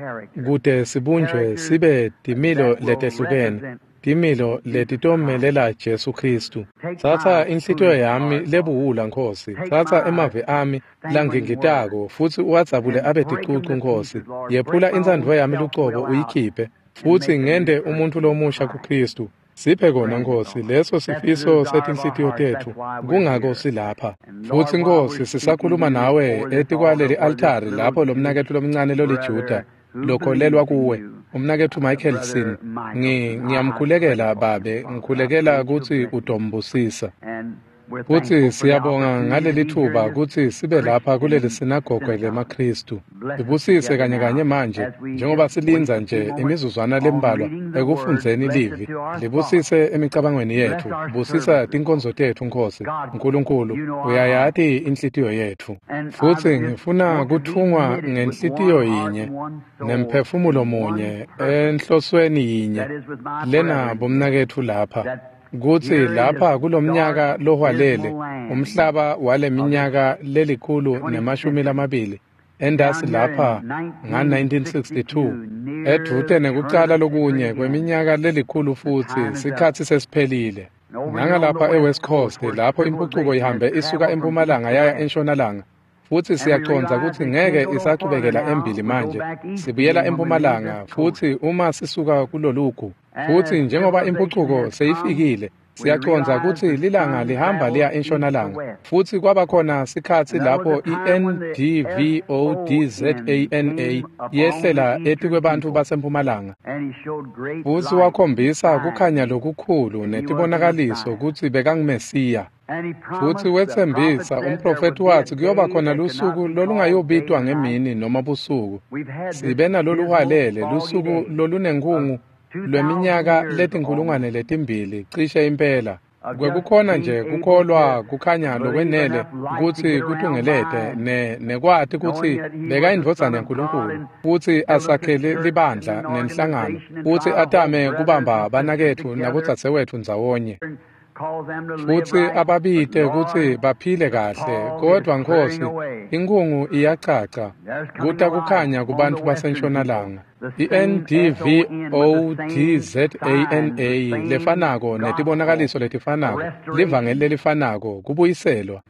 kute sibunjwe sibe timilo letehlukene, timilo letitomelela Jesu Khristu. Tsatsa inhlitiyo yami lebuwula, Nkosi. Tsatsa emavi ami langingitako futsi uwadzabule abe ticucu, Nkosi. Yephula intsandvo yami lucobo uyikhiphe, futsi ngente umuntfu lomusha kuKhristu. Siphe kona, Nkosi, leso sifiso setinhlitiyo tetfu, kungako silapha. Futsi Nkosi, sisakhuluma nawe etikwaleli altari lapho lomnaketfu lomncane loliJuda lokholelwa kuwe, umnaketfu Michaelson. Ngi ngiyamkhulekela Babe, ngikhulekela kutsi utombusisa. Futsi siyabonga ngaleli thuba kutsi sibe lapha kuleli sinagoge lemaKhristu. Sibusise kanye kanye manje njengoba silindza nje imizuzwana lembalwa ekufundzeni livi. Libusise emicabangweni yetfu, busisa tinkonzo tetfu, Nkosi. Nkulunkulu, uyayati inhlitiyo yetfu. Futsi ngifuna kutfungwa ngenhlitiyo yinye nemphefumulo munye enhlosweni yinye lena bomnaketfu lapha, kutsi lapha kulomnyaka lohwalele, umhlaba waleminyaka lelikhulu nemashumi lamabili, endasi lapha nga nineteen sixty-two, edvute nekucala lokunye kweminyaka lelikhulu futsi sikhatsi sesiphelile. Nangalapha eWest Coast lapho impucuko ihambe isuka empumalanga yaya entshonalanga, futsi siyacondza kutsi ngeke isachubekela embili manje, sibuyela empumalanga futsi uma sisuka kulolugu. Futsi njengoba impucuko seyifikile, siyacondza kutsi lilanga lihamba liya entshonalanga. Futsi kwaba khona sikhatsi lapho i-N D V O D Z A N A yehlela etikwebantfu basempumalanga. Futsi wakhombisa kukhanya lokukhulu netibonakaliso kutsi bekanguMesiya. Futsi wetsembisa, umprofethi watsi kuyoba khona lusuku lolungayobitwa ngemini noma busuku. Sibe naloluhwalele lusuku lolunenkhungu lweminyaka letinkhulungwane letimbili cishe impela. Kwekukhona nje kukholwa kukhanya lokwenele kutsi kutungelete ne nekwati kutsi bekayindvodzana yaNkulunkulu futsi asakhele libandla nenhlangano futsi atame kubamba banaketfu nabodzadzewetfu ndzawonye futsi ababite kutsi baphile kahle. Kodwa Nkhosi, inkhungu iyacaca kuta kukhanya kubantfu basentshonalanga. I-N D V O D Z A N A lefanako netibonakaliso letifanako, livangeli lelifanako, kubuyiselwa.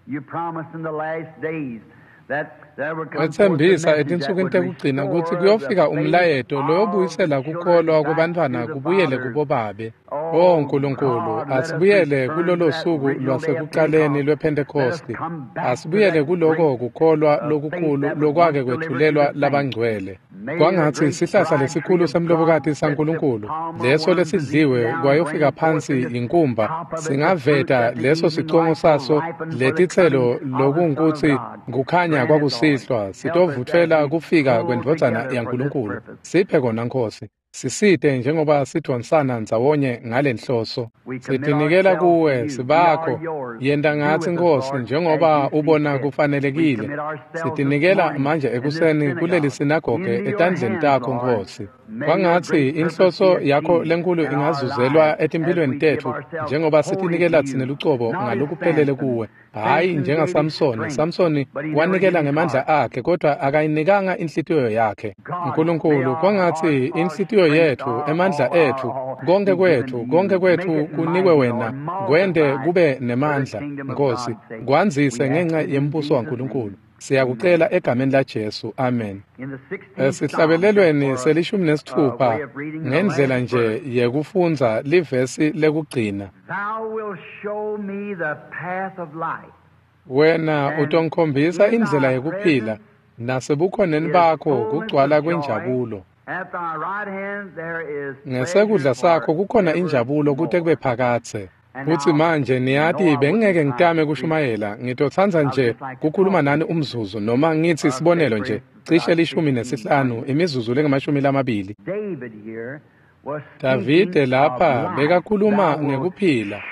Wetsembisa etinsukwini tekugcina kutsi kuyofika umlayeto loyobuyisela kukholwa kwebantfwana kubuyele kubobabe. O Nkulunkulu, asibuyele kulolo suku lwasekuqaleni lwePhentekhosti. Asibuyele kuloko kukholwa lokukhulu lokwake kwetfulelwa labangcwele. Kwangatsi sihlahla lesikhulu semlobokati saNkulunkulu, leso lesidliwe kwayofika phansi yinkumba, singaveta leso sicongo saso letitselo lokungukutsi kukhanya kwakusihlwa sitovutfela kufika kwendvodzana yaNkulunkulu. Siphe kona Nkhosi. Sisite njengoba sidvonsana ndzawonye ngalenhloso. Sitinikela kuwe, sibakho. Yenta ngatsi Nkhosi njengoba ubona kufanelekile. Sitinikela manje ekuseni kuleli sinagoge etandleni takho Nkhosi. Kwangatsi inhloso yakho lenkulu ingazuzelwa etimphilweni tetfu njengoba sitinikela tsine lucobo ngalokuphelele kuwe. Hhayi njengaSamsoni. Samsoni wanikela ngemandla akhe kodwa akayinikanga inhlitiyo yakhe. Nkulunkulu, kwangatsi inhlitiyo yetfu, emandla etfu, konke kwetfu, konke kwetfu kunikwe wena, kwente kube nemandla, Nkhosi, kwandzise ngenxa yembuso waNkulunkulu. Siyakucela egameni laJesu. Amen. Esihlabelelweni selishumi nesitfupha ngendlela nje yekufundza livesi lekugcina. Wena utongikhombisa indlela yekuphila, nasebukhoneni bakho kugcwala kwenjabulo. Ngesekudla sakho kukhona injabulo kute kube phakadze. Futsi manje niyati bengingeke ngitame kushumayela, ngitotsandza nje kukhuluma nani umzuzu noma ngitsi sibonelo nje cishe lishumi nesihlanu imizuzu lengamashumi lamabili. Davide lapha bekakhuluma ngekuphila.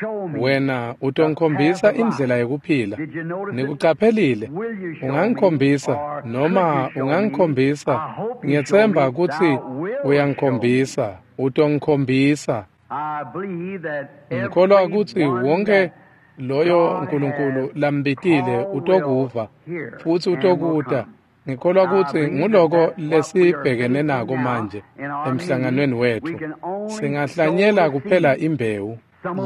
Wena utongikhombisa indlela yekuphila. Nikucaphelile? Ungangikhombisa noma ungangikhombisa. Ngiyetsemba kutsi uyangikhombisa. Utongikhombisa. Ngikholwa kutsi wonke loyo Nkulunkulu lambitile utokuva futsi utokuta. Ngikholwa kutsi nguloko lesibhekene nako manje emhlanganweni wetfu. Singahlanyela kuphela imbewu.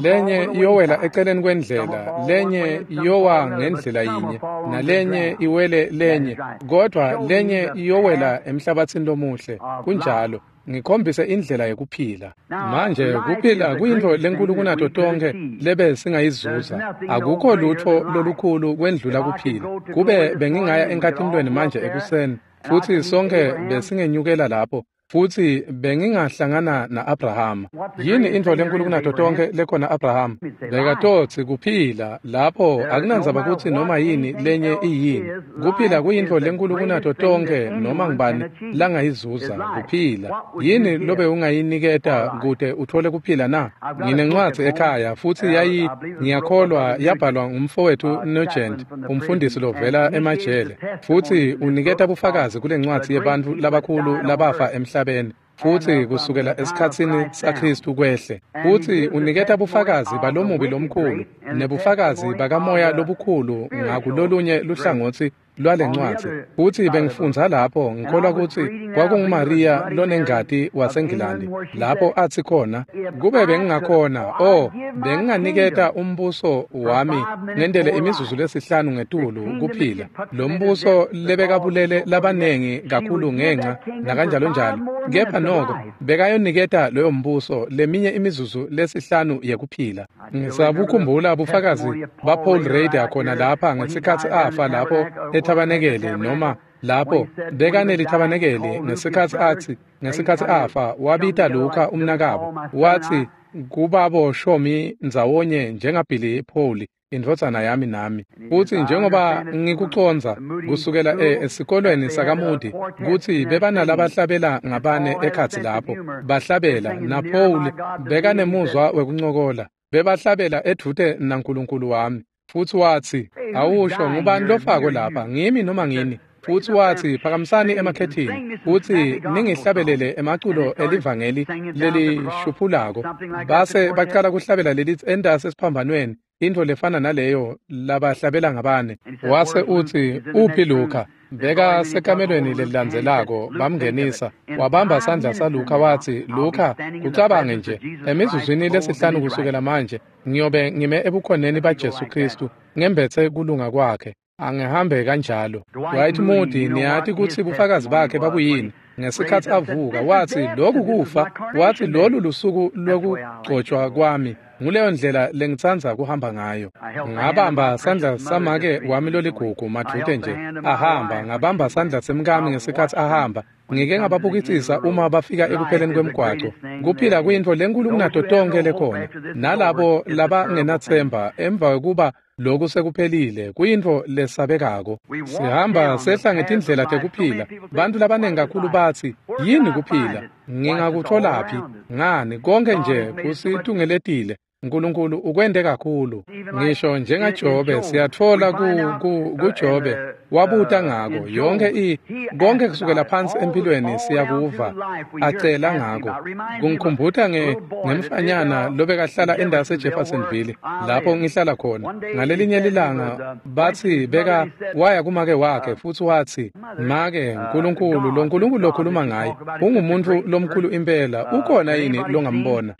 Lenye iyowela eceleni kwendlela, lenye iyowa ngendlela yinye, nalenye iwele lenye, kodwa lenye iyowela emhlabatsini lomuhle. Kunjalo. Ngikhombise indlela yekuphila. Manje kuphila kuyintfo lenkulu kunato tonkhe lebe singayizuza. Akukho lutfo lolukhulu kwendlula kuphila. Kube bengingaya enkatimulweni manje ekuseni futsi sonke besingenyukela lapho futsi bengingahlangana na-Abrahama. Yini intfo lenkulu kunato tonkhe lekhona Abrahama? Bekatotsi kuphila lapho akunandzaba kutsi noma yini lenye iyini. Kuphila kuyintfo lenkulu kunato tonkhe noma ngubani langayizuza, kuphila. Yini lobe ungayiniketa kute utfole kuphila na? Nginencwadzi ekhaya futsi yayi ngiyakholwa yabhalwa ngumfowethu Nugent, umfundisi lovela emajele. Futsi uniketa bufakazi kule ncwadzi yebantfu labakhulu labafa emhlabeni. Futsi kusukela esikhatsini saKhristu kwehle. Futsi uniketa bufakazi balomubi lomkhulu nebufakazi bakamoya lobukhulu ngakulolunye luhlangotsi lwalencwadzi. Futsi bengifundza lapho ngikholwa kutsi kwakunguMaria lonengati waseNgilandi lapho atsi khona, kube bengingakhona, oh, benginganiketa umbuso wami ngendele imizuzu lesihlanu ngetulu kuphila. Lo mbuso lebekabulele labanengi kakhulu ngenxa nakanjalo njalo. Kepha noko bekayoniketa loyo mbuso leminye imizuzu lesihlanu yekuphila. Ngisabukhumbula bufakazi baPaul Rader khona lapha ngesikhatsi afa lapho ethabanekele noma lapho bekanelithabanekele ngesikhatsi atsi ngesikhatsi afa wabita Luka umnakabo watsi kubabo shomi ndzawonye njengaBilly Paul indvodzana yami nami. Futsi njengoba ngikucondza kusukela esikolweni sakaMoody kutsi bebanalabahlabela ngabane ekhatsi lapho bahlabela na Paul bekanemuzwa wekuncokola. Bebahlabela edvute naNkulunkulu wami. Futsi watsi, awusho ngubani lofako lapha, ngimi noma ngini? Futsi watsi, phakamisani emakhethini, futsi ningihlabelele emaculo elivangeli lelishuphulako. Base bacala kuhlabela lelithi entasi esiphambanweni, intfo lefana naleyo labahlabela ngabane. Wase utsi, uphi Luka? Beka sekamelweni lelilandzelako, bamngenisa. Wabamba sandla saLuka watsi, Luka, kucabange nje, emizuzwini lesihlanu kusukela manje, ngiyobe ngime ebukhoneni baJesu Khristu, ngembetse kulunga kwakhe. Angihambe kanjalo. Dwight Moody, niyati kutsi bufakazi bakhe babuyini? Ngesikhatsi avuka, watsi, lokhu kufa, watsi lolu lusuku lwekugcotshwa kwami. Nguleyo ndlela lengitsandza kuhamba ngayo. Ngabamba sandla samake wami loligugu madvute nje ahamba, ngabamba sandla semkami ngesikhatsi ahamba. Ngike ngababukisisa uma bafika ekupheleni kwemgwaco. Kuphila kuyintfo lenkulu kunato tonkhe lekhona. Nalabo labangenathemba emva kwekuba lokhu sekuphelile kuyintfo lesabekako. Sihamba sehla ngetindlela tekuphila. Bantu labanengi kakhulu batsi, yini kuphila? Ngingakutholaphi? Ngani konke nje kusitungeletile. Nkulunkulu ukwente kakhulu. Ngisho njengaJobe siyatfola ku, ku, kuJobe wabuta ngako yonke i konke kusukela phansi empilweni siyakuva acela ngako. Kungikhumbuta nge ngemfanyana lobekahlala endasi eJeffersonville lapho ngihlala khona. Ngalelinye lilanga batsi beka waya kumake wakhe futsi watsi, make, Nkulunkulu lo Nkulunkulu lokhuluma ngaye ungumuntu lomkhulu impela, ukhona yini longambona?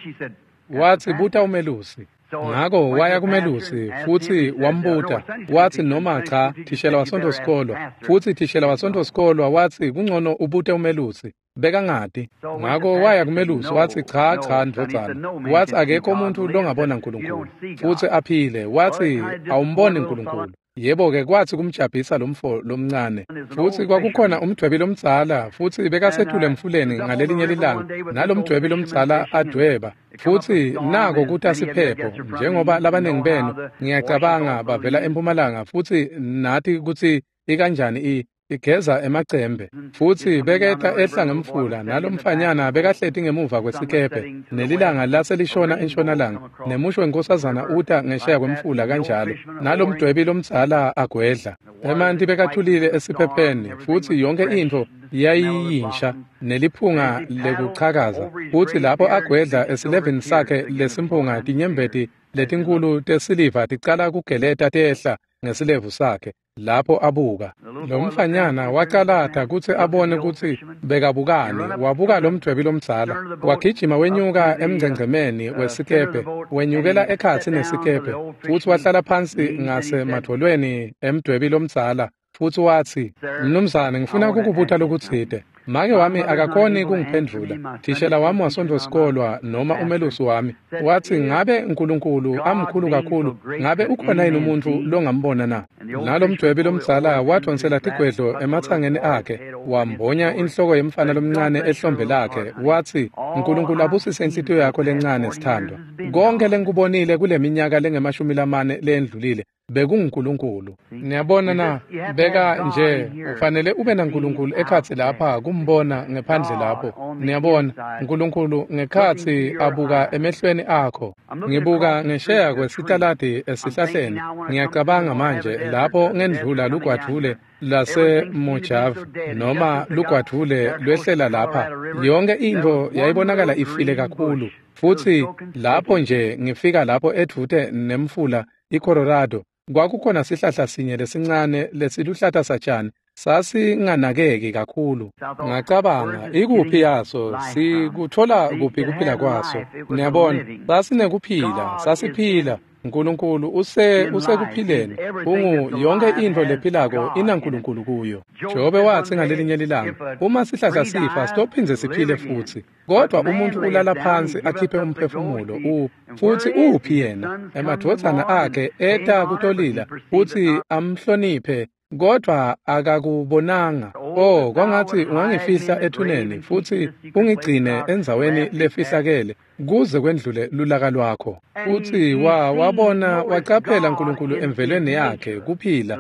Watsi, buta umelusi. Ngako waya kumelusi futsi wambuta. Watsi noma cha, thishela waSontfo sikolwa. Futsi thishela waSontfo sikolwa watsi kungcono ubute umelusi. Bekangati. Ngako waya kumelusi watsi cha cha ndvodzana. Watsi akekho umuntu longabona Nkulunkulu futsi aphile. Watsi awumboni Nkulunkulu. Yebo-ke kwatsi kumjabhisa lomfo lomncane. Futsi kwakukhona umdwebi lomdzala, futsi bekasetule emfuleni ngalelinye lilanga, nalomdwebi lomdzala adweba. Futsi nako kuta siphepho, njengoba labanengi benu ngiyacabanga bavela empumalanga, futsi nati kutsi ikanjani i igeza emacembe. Futsi beketa ehla ngemfula, nalomfanyana bekahleti ngemuva kwesikebhe, nelilanga laselishona entshonalanga, nemusho wenkosazana uta ngesheya kwemfula kanjalo, nalomdwebi lomdzala agwedla. Emanti bekathulile esiphepheni, futsi yonke intfo yayiyinsha neliphunga lekuchakaza. Futsi lapho agwedla esilevini sakhe lesimphunga, tinyembeti letinkulu tesiliva ticala kugeleta tehla ngesilevu sakhe. Lapho abuka, lomfanyana wacalata kutsi abone kutsi bekabukani. Wabuka lomdwebi lomdzala, wagijima wenyuka emngcengcemeni wesikebhe, wenyukela ekhatsi nesikebhe, futsi wahlala phansi ngasemadvolweni emdwebi lomdzala, futsi watsi, mnumzane, ngifuna kukubuta lokutsite. Make wami akakhoni kungiphendvula. Thishela wami waSontfo sikolwa noma umelusi wami watsi, ngabe Nkulunkulu amkhulu kakhulu, ngabe ukhona yini umuntu longambona na? Nalomdwebi lomdzala wadvonsela tigwedlo ematsangeni akhe, wambonya inhloko yemfana lomncane ehlombe lakhe, watsi, Nkulunkulu abusise inhlitiyo yakho lencane sithandwa. Konke lengikubonile kule minyaka lengemashumi lamane leyendlulile bekunguNkulunkulu. Niyabona na, beka nje ufanele ube naNkulunkulu ekhatsi lapha kumbona ngephandle lapho. Niyabona, Nkulunkulu ngekhatsi abuka emehlweni akho. Ngibuka ngesheya kwesitaladi esihlahleni. Ngiyacabanga manje lapho ngendlula lugwadvule laseMojave noma lugwadvule lwehlela lapha. Yonke intfo yayibonakala ifile kakhulu. Futsi lapho nje ngifika lapho edvute nemfula iColorado, kwakukhona sihlahla sinye lesincane lesiluhlata satshani, sasinganakeki kakhulu. Ngacabanga, ikuphi yaso? Sikuthola kuphi kuphila kwaso? Niyabona, sasinekuphila, sasiphila. Nkulunkulu use usekuphileni. Ungu yonke intfo lephilako inaNkulunkulu kuyo. Jobe watsi ngalelinye lilanga, uma sihlahla sifa sitophindze siphile futsi. Kodwa umuntu ulala phansi akhiphe umphefumulo u futsi uphi yena? Emadvodzana akhe eta kutolila futsi amhloniphe, kodwa akakubonanga. Oh, kwangatsi ungangifihla ethuneni futsi ungigcine endzaweni lefihlakele kuze kwendlule lulaka lwakho. Futsi wa wabona wacaphela Nkulunkulu emvelweni yakhe kuphila,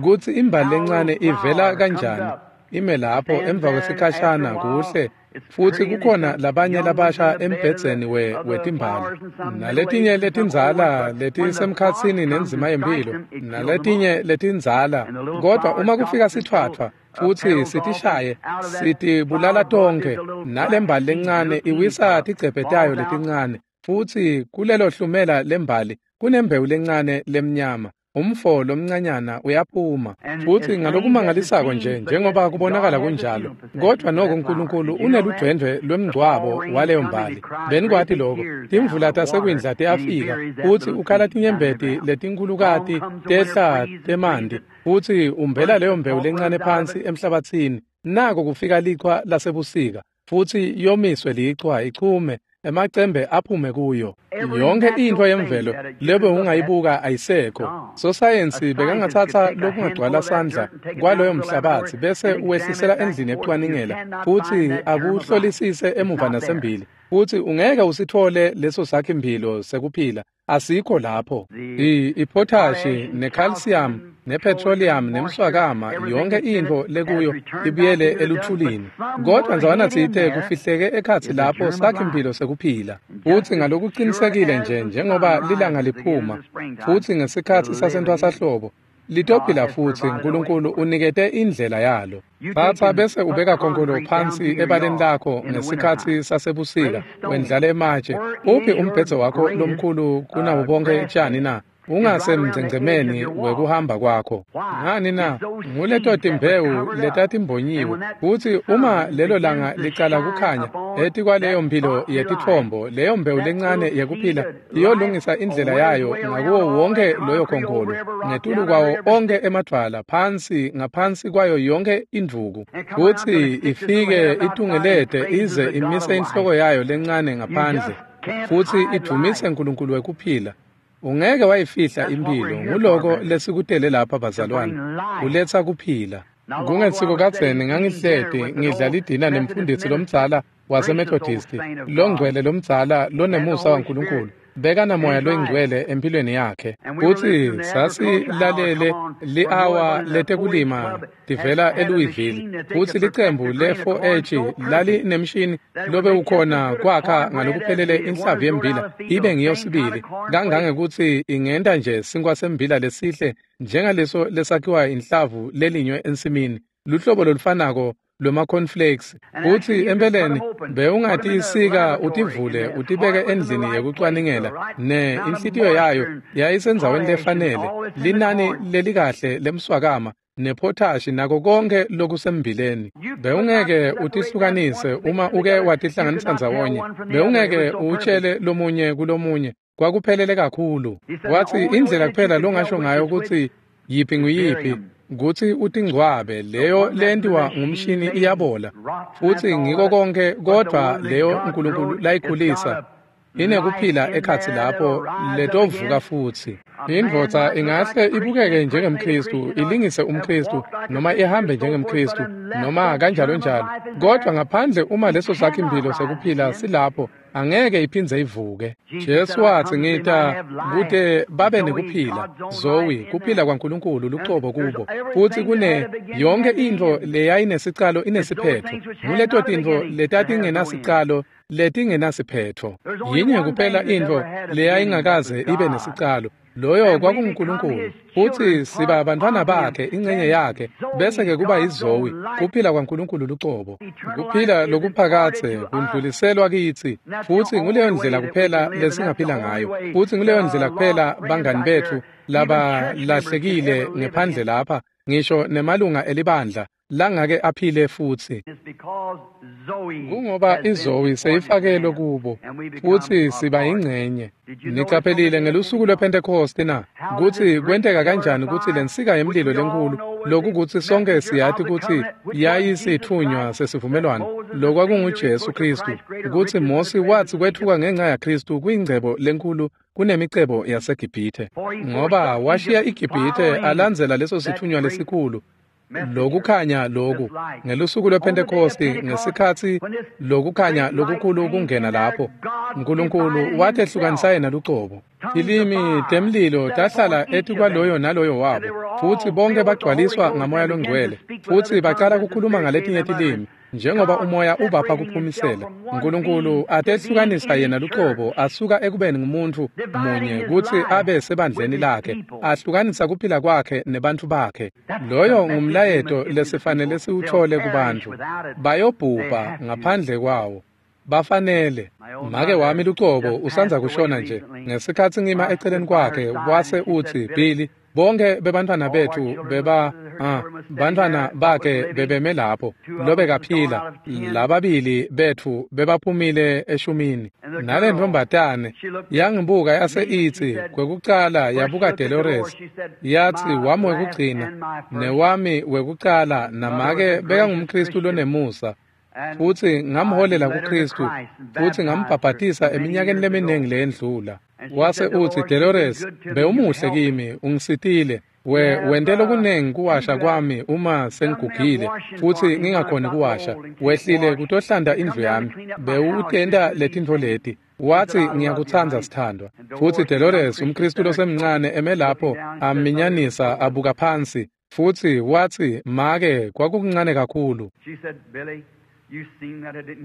kutsi imbali lencane ivela kanjani ime lapho emva kwesikhashana kuhle Futsi kukhona labanye labasha embhedzeni we wetimbali, naletinye letindzala letisemkhatsini nenzima yemphilo, naletinye letindzala. Kodwa uma kufika sitfwatfwa futsi sitishaye, sitibulala tonkhe, nalembali lencane iwisa tigcebhe tayo letincane, futsi kulelo hlumela lembali kunembewu lencane lemnyama. Umfo lomncanyana uyaphuma. Futsi ngalokumangalisako nje njengoba kubonakala kunjalo, kodwa noko uNkulunkulu uneludvwendvwe lwemngcwabo waleyo mbali. Benikwati lokho? Timvula tasekwindla tiyafika, futsi ukhala tinyembeti letinkhulukati tehla temanti, futsi umbela leyo mbewu lencane phansi emhlabatsini. Nako kufika lichwa lasebusika, futsi yomiswe lichwa ichume, emacembe aphume kuyo. Yonke intfo yemvelo lebe ungayibuka ayisekho. Sosayensi bekangatsatsa lokungagcwala sandla kwaloyo mhlabatsi bese uwehlisela endlini ekucwaningela, futsi akuhlolisise emuva nasembili, futsi ungeke usitfole leso sakhi-mphilo sekuphila. Asikho lapho. I-potashi ne-calcium ne-petroleum nemswakama, yonke intfo lekuyo ibuyele eluthulini. Kodwa ndzawana tsite kufihleke ekhatsi lapho sakhi-mphilo sekuphila. Futsi ngalokucinisekile nje njengoba lilanga liphuma, futsi ngesikhatsi sasentwasahlobo litophila futsi. uNkulunkulu unikete indlela yalo. Tsatsa bese ubeka khonkolo phansi ebaleni lakho ngesikhatsi sasebusika, wendlale ematshe. Uphi umbhedze wakho lomkhulu kunabo bonke tjani na? Ungasemngcengcemeni wekuhamba kwakho. Ngani na? Nguleto timbewu letatimbonyiwe. Futsi uma lelo langa licala kukhanya etikwaleyo mphilo yetitfombo, leyo mbewu lencane yekuphila iyolungisa indlela yayo ngakuwo wonke loyo khonkolo, ngetulu kwawo onke emadvwala, phansi ngaphansi kwayo yonke indvuku, futsi ifike itungelete ize imise inhloko yayo lencane ngaphandle, futsi idvumise uNkulunkulu wekuphila. Ungeke wayifihla imphilo. Nguloko lesikutele lapha bazalwane, kuletsa kuphila. Kungesiko kadzeni ngangihleti ngidla lidina nemfundisi lomdzala waseMethodisti, longcwele lomdzala lonemusa waNkulunkulu. Bekanamoya loyingcwele empilweni yakhe. Futsi sasilalele li-awa letekulima tivela eLouisville, futsi licembu le-four H lalinemshini lobewukhona kwakha ngalokuphelele inhlavu yembila ibe ngiyo sibili, kangangekutsi ingenta nje sinkwa sembila lesihle njengaleso lesakhiwa inhlavu lelinywe ensimini, luhlobo lolufanako lwema-cornflakes. Futsi empeleni bewungatisika utivule utibeke endlini yekucwaningela, ne inhlitiyo yayo yayisendzaweni lefanele, linani lelikahle lemswakama nephotashi nako konke lokusembileni. Bewungeke utihlukanise uma uke watihlanganisa ndzawonye, bewungeke uwutshele lomunye kulomunye, kwakuphelele kakhulu. Watsi indlela kuphela longasho ngayo kutsi yiphi nguyiphi kutsi utingcwabe, leyo lentiwa ngumshini iyabola, futsi ngiko konke, kodvwa leyo uNkulunkulu layikhulisa inekuphila ekhatsi lapho letovuka futsi. Indvodza ingahle ibukeke njengemKhristu, ilingise umKhristu, noma ihambe njengemKhristu, noma kanjalo njalo, kodwa ngaphandle uma leso sakhi-mphilo sekuphila silapho, angeke iphindze ivuke. Jesu watsi, ngita kute babe nekuphila, Zoe, kuphila kwaNkulunkulu lucobo kubo. Futsi kune yonke intfo leyayinesicalo inesiphetho. Nguleto tintfo letatingenasicalo letingenasiphetho. Yinye kuphela intfo leyayingakaze ibe nesicalo, loyo kwakunguNkulunkulu. Futsi siba bantfwana bakhe, ingcenye yakhe, bese-ke kuba yiZoe, kuphila kwaNkulunkulu lucobo. Kuphila lokuphakadze kundluliselwa kitsi, futsi nguleyo ndlela kuphela lesingaphila ngayo. Futsi nguleyo ndlela kuphela bangani betfu labalahlekile ngephandle lapha, ngisho nemalunga elibandla langake aphile futsi. Kungoba iZoe seyifakelwe kubo, futsi siba yingcenye. Nicaphelile ngelusuku lwePhentekhosti na kutsi kwenteka kanjani kutsi lensika yemlilo lenkulu, lokukutsi sonke siyati kutsi yayisitfunywa sesivumelwano, lokwakunguJesu Khristu, kutsi Mosi watsi kwetfuka ngenca yaKhristu kuyingcebo lenkulu kunemicebo yaseGibhithe, ngoba washiya iGibhithe alandzela leso sitfunywa lesikhulu. Lokukhanya loku ngelusuku lwePhentekhosti, ngesikhatsi lokukhanya lokukhulu kungena lapho, uNkulunkulu watehlukanisa yena lucobo. Tilimi temlilo tahlala etikwaloyo naloyo wabo, futsi bonke bagcwaliswa ngaMoya loNgcwele, futsi bacala kukhuluma ngaletinye tilimi Njengoba umoya ubapha kuphumisela, uNkulunkulu atehlukanisa yena luqobo asuka ekubeni ngumuntu munye kutsi abe sebandleni lakhe, ahlukanisa kuphila kwakhe nebantfu bakhe. Loyo ngumlayeto lesifanele siwuthole kubantfu. Bayobhubha ngaphandle kwawo. Bafanele. Make wami luqobo usandza kushona nje. Ngesikhatsi ngima eceleni kwakhe wase utsi, Billy, bonke bebantfwana bethu beba ah, bantfwana bakhe bebeme lapho lobekaphila, lababili bethu bebaphumile eshumini. Nale ntombatane yangibuka yase itsi kwekucala yabuka Dolores, yatsi wami wekugcina newami wekucala, namake bekangumKhristu lonemusa. Futsi ngamholela kuKhristu futsi ngambhabhatisa eminyakeni leminingi leyendlula. Wase utsi, Dolores, bewumuhle kimi, ungisitile. We wente lokunengi kuwasha kwami uma sengigugile futsi ngingakhoni kuwasha. Wehlile kutohlanta indlu yami. Bewutenta letintfo leti. Watsi, ngiyakutsandza sithandwa. Futsi Dolores, umKhristu losemncane, eme lapho aminyanisa abuka phansi. Futsi watsi, make, kwakukuncane kakhulu.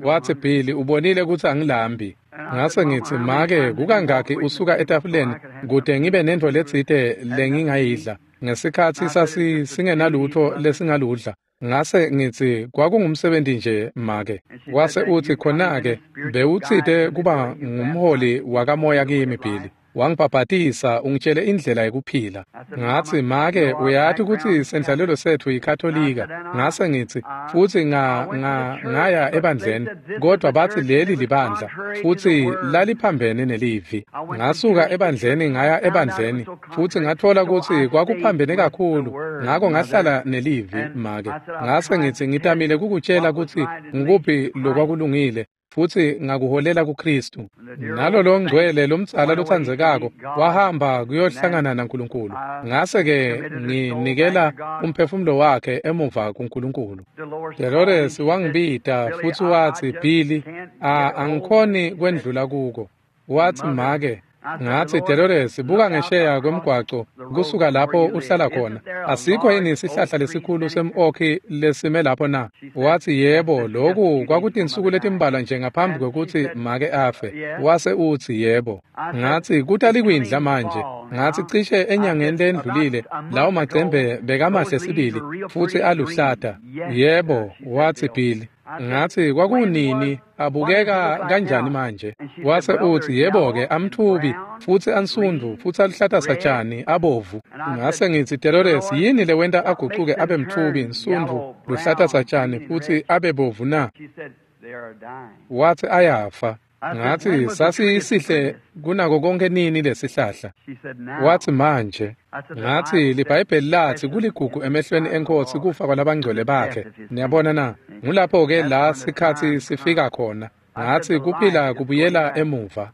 Watsi, Billy, ubonile kutsi angilambi. Ngase ngitsi, make, kukangakhi usuka etafuleni kute ngibe nentfo letsite lengingayidla. Ngesikhatsi sasi singenalutfo lesingaludla. Ngase ngitsi, kwakungumsebenti nje, make. Wase utsi, khona-ke bewutsite kuba ngumholi wakamoya kimi, Billy. Wangibhabhatisa ungitshele indlela yekuphila. Ngatsi, make, uyati kutsi sendlalelo setfu yiKatolika. Ngase ngitsi, futsi nga nga ngaya ebandleni, kodwa batsi leli libandla, futsi laliphambene nelivi. Ngasuka ebandleni ngaya ebandleni, futsi ngatfola kutsi kwakuphambene kakhulu, ngako ngahlala nelivi, make. Ngase ngitsi, ngitamile kukutshela kutsi ngikuphi lokwakulungile, futsi ngakuholela kuKhristu. Nalolo ngcwele lomdzala lotsandzekako wahamba kuyohlangana naNkulunkulu. Ngase-ke nginikela umphefumulo wakhe emuva kuNkulunkulu. Dolores wangibita futsi watsi, Billy, angikhoni kwendlula kuko. Watsi, make. Ngatsi, Dolores, buka ngesheya kwemgwaco kusuka lapho uhlala khona. Asikho yini sihlahla lesikhulu sem-okhi lesime lapho na? Watsi, yebo, loku kwakutinsuku letimbalwa nje ngaphambi kwekutsi make afe. Wase utsi, yebo. Ngatsi, kutalikwindla manje. Ngatsi, cishe enyangeni lendlulile lawo macembe bekamahle sibili futsi aluhlata. Yebo, watsi Billy. Ngatsi, kwakunini, abukeka kanjani manje? Wase utsi, yebo-ke, amthubi futsi ansundvu futsi aluhlata satjani abovu. Ngase ngitsi, Dolores, yini lewenta agucuke abe mthubi, nsundvu, luhlata satjani futsi abe bovu na? Watsi, ayafa. Ngatsi, sasisihle kunako konke nini lesihlahla? Watsi, manje. Ngatsi, liBhayibheli latsi kuligugu emehlweni eNkhosi kufa kwalabangcwele bakhe. Niyabona na? Ngulapho-ke la sikhatsi sifika khona. Ngatsi, kuphila kubuyela emuva.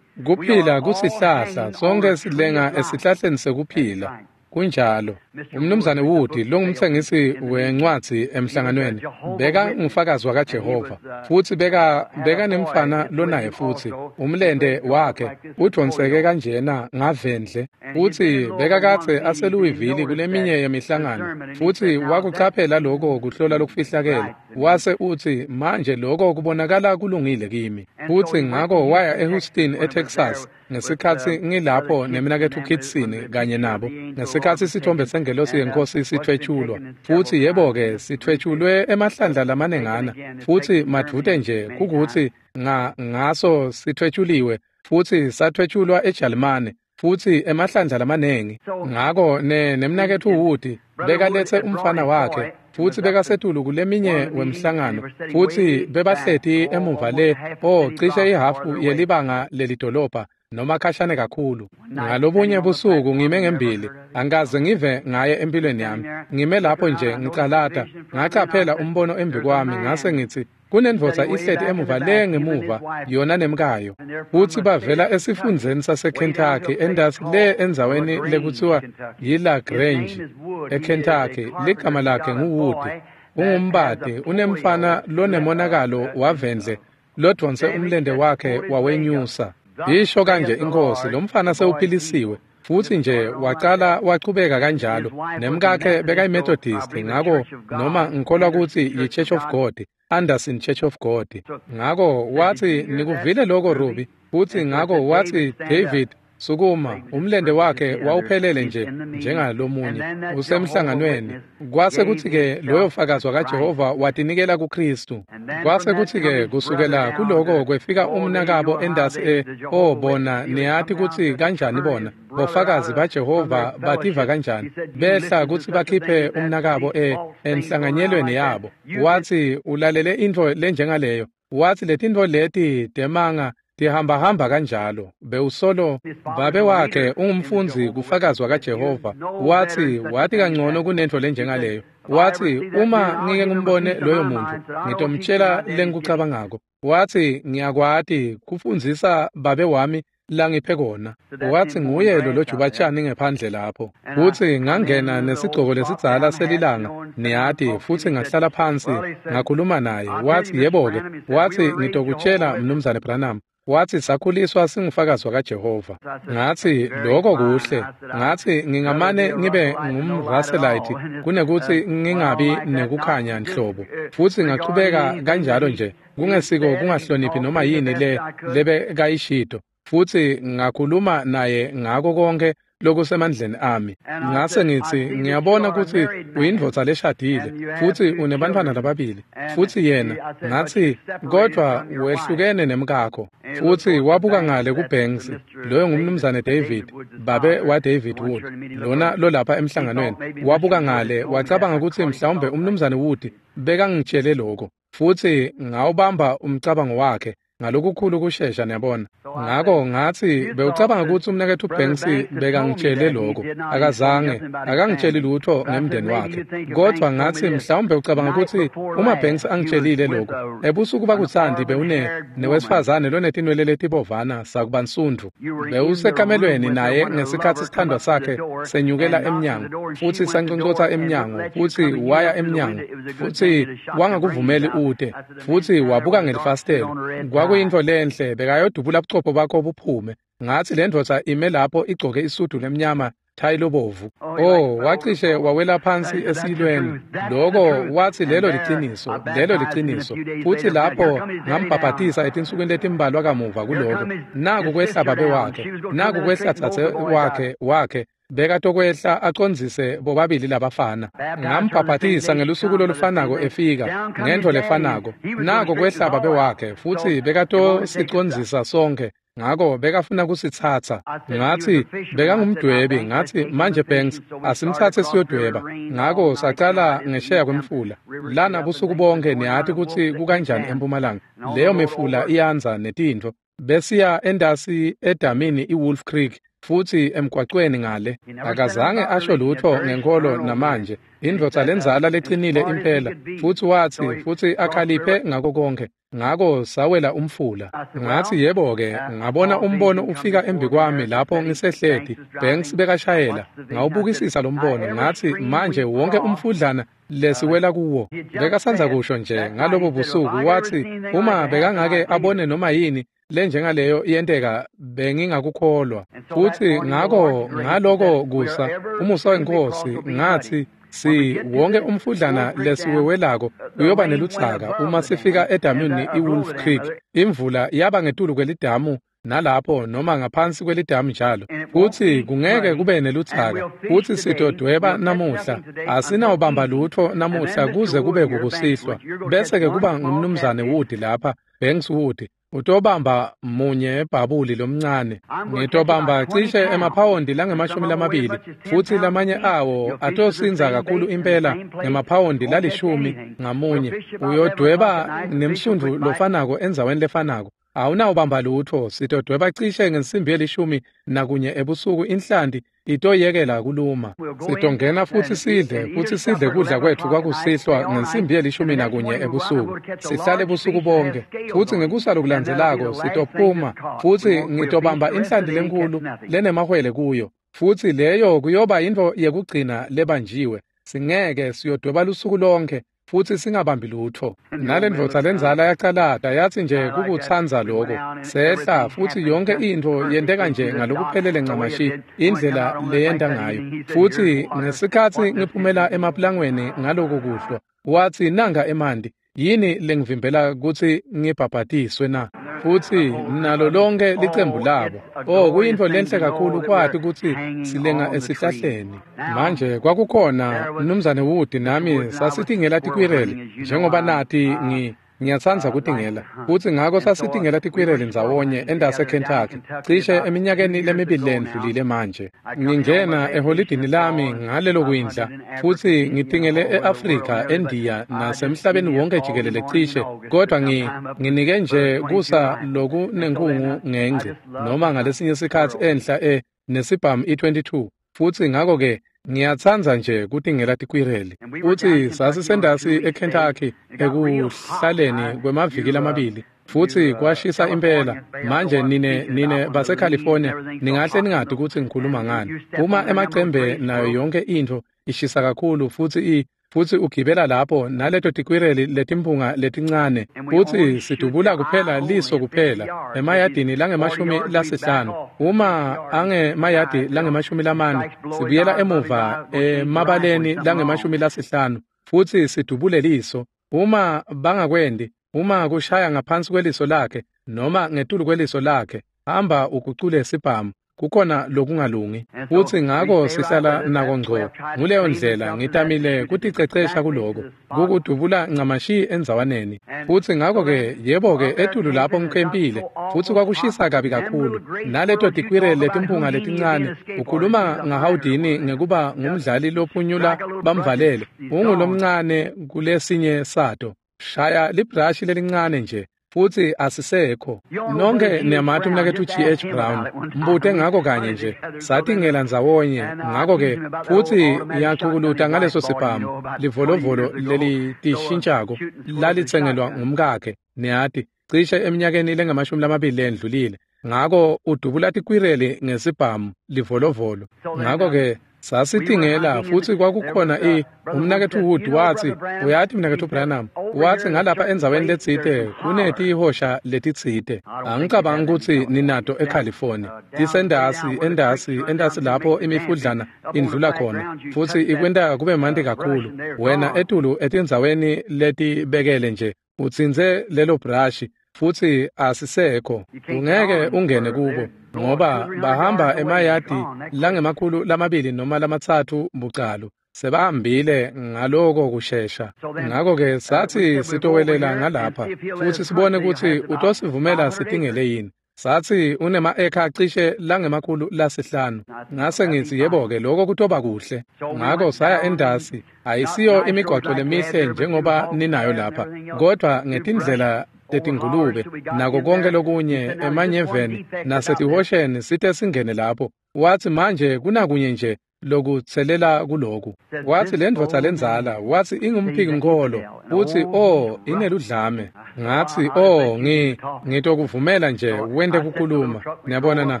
Kuphila kusihlahla, sonke silenga esihlahleni sekuphila. Kunjalo. Umnumzane Wood, longumtsengisi wencwadzi emhlanganweni, beka ngufakazi wakaJehova, futsi beka beka nemfana lonaye futsi umlente wakhe udvonseke kanjena ngavendle, futsi beka katse aseLouisville kuleminye yemihlangano, futsi wakucaphela lokho kuhlola lokufihlakele, wase utsi, manje lokho kubonakala kulungile kimi. Futsi ngako waya eHouston eTexas ngesikhatsi ngilapho nemnaketfu Kitson kanye nabo, ngesikhatsi sithombe sengelosi yenkosi sithwetshulwa, futsi yebo-ke sithwetshulwe emahlandla lamanengana, futsi madvute nje kukutsi nga ngaso sithwetshuliwe, futsi sathwetshulwa eJalimane futsi emahlandla lamanengi. Ngako ne nemnaketfu Wood bekaletse umfana wakhe, futsi bekasetulu kuleminye wemhlangano, futsi bebahleti emuva le oh cishe ihafu yelibanga lelidolobha noma khashane kakhulu. Ngalobunye busuku ngime ngembili, angikaze ngive ngaye empilweni yami. Ngime lapho nje ngicalata, ngacaphela umbono embi kwami, ngase ngitsi, kunendvodza ihleti emuva le ngemuva, yona nemkayo. Futsi bavela esifundzeni saseKentucky, entasi le endzaweni lekutsiwa yiLaGrange eKentucky. Ligama lakhe nguWood, ungumbati, unemfana lonemonakalo wavendle lodvonse umlente wakhe wawenyusa. Isho kanje inkosi, lomfana sewuphilisiwe. Futsi nje wacala wachubeka kanjalo. Nemkakhe bekayiMethodist, ngako noma ngikholwa kutsi yi-Church of God, Anderson Church of God. Ngako watsi, nikuvile lokho Ruby? Futsi ngako watsi, David, sukuma. Umlende wakhe wawuphelele nje njengalomunye usemhlanganweni. Kwase kutsi-ke loyo fakazi wakaJehova watinikela kuKristu. Kwase kutsi-ke kusukela kuloko kwefika umnakabo endasi e oh bona niyati kutsi kanjani bona bofakazi baJehova bativa kanjani behla kutsi bakhiphe umnakabo e enhlanganyelweni yabo. Watsi ulalele intfo lenjengaleyo. Watsi letintfo leti temanga tihambahamba kanjalo. Bewusolo babe wakhe ungumfundzi kufakazi wakaJehova. Watsi wati kangcono kunentfo lenjengaleyo. Watsi uma ngike ngimbone loyo muntu ngitomtshela lengikucabangako. Watsi ngiyakwati kufundzisa babe wami langiphe kona. Watsi nguye lo lojubatshani ngephandle lapho. Futsi ngangena nesigcoko lesidzala selilanga niyati, futsi ngahlala phansi ngakhuluma naye. Watsi yebo-ke, watsi ngitokutshela Mnumzane Branham. Watsi sakhuliswa singufakazi wakaJehova. Ngatsi lokho kuhle. Ngatsi ngingamane ngibe ngumRusselite kunekuthi ngingabi nekukhanya nhlobo. Futsi ngachubeka kanjalo nje kungesiko kungahloniphi noma yini le lebe kayishito. Futsi ngakhuluma naye ngako konke lokusemandleni ami. Ngase ngitsi ngiyabona kutsi uyindvodza leshadile futsi unebantfwana lababili. Futsi yena ngatsi kodvwa wehlukene nemkakho. Futsi wabuka ngale kuBanks, loyo ngumnumzane David, babe waDavid Wood, lona lolapha emhlanganweni. Wabuka ngale wacabanga kutsi mhlawumbe umnumzane Wood bekangitshele lokho. Futsi ngawubamba umcabango wakhe ngalokukhulu kushesha niyabona. Ngako ngatsi bewucabanga kutsi umnaketfu Banks bekangitshele lokho. Akazange, akangitsheli lutho ngemndeni wakhe. Kodvwa ngatsi mhlawumbe ucabanga kutsi uma Banks angitshelile lokho, ebusuku bakutsandi bewune newesifazane lonetinwele letibovana sakubansundvu. Bewusekamelweni naye ngesikhatsi sithandwa sakhe senyukela emnyango, futsi sanconcotsa emnyango, futsi waya emnyango, futsi wangakuvumeli ute, futsi wabuka ngelifasitelo. Kwakuyintfo lenhle bekayodubula buchopho bakho buphume. Ngatsi le ndvodza ime lapho igcoke isudu lemnyama thayi lobovu. Oh, wacishe wawela phansi esiyilweni. Lokho watsi lelo liciniso, lelo liciniso. Futsi lapho ngambhabhatisa etinsukwini letimbalwa kamuva kuloko. Naku kwehla babe wakhe, naku kwehla dzadze wakhe wakhe. Bekatokwehla acondzise bobabili labafana. Ngambhabhatisa ngelusuku lolufanako efika ngentfo lefanako. Nako kwehla babe wakhe futsi bekatosicondzisa sonke. Ngako bekafuna kusitsatsa. Ngatsi bekangumdwebi. Ngatsi manje Banks asimtsatse siyodweba. Ngako sacala ngesheya kwemfula. Lana busuku bonke niyati kutsi kukanjani eMpumalanga. Leyo mifula iyandza netintfo. Besiya endasi edamini iWolf Creek. Futsi emgwacweni ngale akazange asho lutho ngenkolo namanje. Indvodza lenzala lecinile impela. Futsi watsi futsi akhaliphe ngako konke. Ngako sawela umfula. Ngatsi yebo-ke, ngabona umbono ufika embi kwami lapho ngisehleti. Banks bekashayela. Ngawubukisisa lo mbono. Ngatsi manje wonke umfudlana lesiwela kuwo. Bekasandza kusho nje ngalobo busuku watsi uma bekangake abone noma yini lenjengaleyo iyenteka bengingakukholwa. Futsi ngako ngaloko kusa umusa wenkosi ngatsi si wonke umfudlana lesiwewelako uyoba neludzaka uma sifika edamini iWolf Creek. Imvula yaba ngetulu kwelidamu nalapho noma ngaphansi kwelidamu njalo. Futsi kungeke kube neludzaka. Futsi sitodweba namuhla. Asinawubamba lutho namuhla kuze kube kukusihlwa. Bese ke kuba ngumnumzane Wood lapha, Banks Wood. Utobamba munye bhabuli lomncane. Ngitobamba cishe emaphawondi langemashumi lamabili, futsi lamanye awo atosindza kakhulu impela ngemaphawondi lalishumi ngamunye. Uyodweba nemsundvu lofanako endzaweni lefanako. Awunawubamba lutho, sitodweba cishe ngensimbi yelishumi nakunye ebusuku inhlanti itoyekela kuluma. Sitongena futsi sidle, futsi sidle kudla kwetfu kwakusihlwa ngensimbi yelishumi nakunye ebusuku. Sihlale busuku bonke, futsi ngekusa lokulandzelako sitophuma, futsi ngitobamba inhlanti lenkhulu lenemahwele kuyo. Futsi leyo kuyoba yintfo yekugcina lebanjiwe. Singeke siyodweba lusuku lonke, futsi singabambi lutfo. Nalendvodza lendzala yacalata yatsi nje kukutsandza loko. Sehla futsi yonkhe intfo yenteka nje ngalokuphelele ncamashi indlela leyenta ngayo. Futsi ngesikhatsi ngiphumela emaplangweni ngaloko kuhlwa, watsi nanga emanti, yini lengivimbela kutsi ngibhabhatiswe na? Futsi nalo lonke licembu labo. Oh, kuyintfo lenhle kakhulu kwati kutsi silenga esihlahleni. Manje kwakukhona Mnumzane Wood nami sasitingela tikwireli njengoba nati ngi ngiyatsandza kutingela. Futsi ngako sasitingela tikwireli ndzawonye endase Kentucky cishe eminyakeni lemibili lendlulile manje. Ngingena eholidini lami ngalelo kwindla futsi ngitingele e-Afrika, eNdiya nasemhlabeni wonke jikelele cishe, kodwa ngi nginike nje kusa lokunenkungu ngengci noma ngalesinye sikhatsi enhla e nesibhamu i twenty-two. Futsi ngako-ke ngiyatsandza nje kutingela tikwireli. Futsi sasisendasi eKentucky ekuhlaleni kwemaviki lamabili futsi kwashisa impela. Manje nine nine baseCalifornia ningahle ningati kutsi ngikhuluma ngani. Uma emacembe nayo yonke intfo ishisa kakhulu futsi i futsi ugibela lapho naleto tikwireli letimpunga letincane futsi sidubula kuphela liso kuphela emayadini langemashumi lasihlanu. Uma angemayadi langemashumi lamane sibuyela emuva emabaleni langemashumi lasihlanu futsi sidubule liso. Uma bangakwendi, uma kushaya ngaphansi kweliso lakhe noma ngetulu kweliso lakhe, hamba ugucule sibhamu. Kukhona lokungalungi. Futsi ngako sihlala nako ngco. Nguleyo ndlela ngitamile kuticecesha kuloko, kukudubula ncamashi endzawaneni. Futsi ngako-ke yebo-ke etulu lapho ngikhempile futsi kwakushisa kabi kakhulu. Naleto tikwireli letimpunga letincane, ukhuluma ngaHoudini ngekuba ngumdlali lophunyula bamvalele. Ungulomncane kulesinye sato. Shaya librashi lelincane nje futsi asisekho. Nonke niyamati umnaketfu G H Brown, mbute ngako kanye nje satingela ndzawonye. Ngako-ke futsi yachukuluta ngaleso sibhamu livolovolo lelitishintshako lalitsengelwa ngumkakhe, niyati, cishe eminyakeni lengamashumi lamabili lendlulile. Ngako udubula tikwireli ngesibhamu livolovolo. Ngako-ke sasitingela futsi kwakukhona i umnaketfu Wood watsi, uyati mnaketfu Branham, watsi ngalapha endzaweni letsite kunetihosha letitsite. Angicabangi kutsi ninato eCalifornia. Tisendasi endasi endasi lapho imifudlana indlula khona futsi ikwenta kube manti kakhulu. Wena etulu etindzaweni letibekele nje utsintse lelo brashi futsi asisekho. Ungeke ungene kubo ngoba bahamba emayadi langemakhulu lamabili noma lamatsatfu bucalu. Sebahambile ngaloko kushesha. Ngako-ke satsi sitowelela ngalapha futsi sibone kutsi utosivumela sitingele yini. Satsi unema-eka cishe langemakhulu lasihlanu. Ngase ngitsi yebo-ke loko kutoba kuhle. Ngako saya endasi. Ayisiyo imigwaco lemihle njengoba ninayo lapha, kodvwa ngetindlela tetingulube nako konke lokunye emanyeveni nasetihosheni site singene lapho. Watsi manje kunakunye nje lokutselela kuloku. Watsi lendvodza lendzala, watsi ingumphiki-nkholo, utsi oh ineludlame. Ngatsi oh ngi ngitokuvumela nje wente kukhuluma. Niyabona na?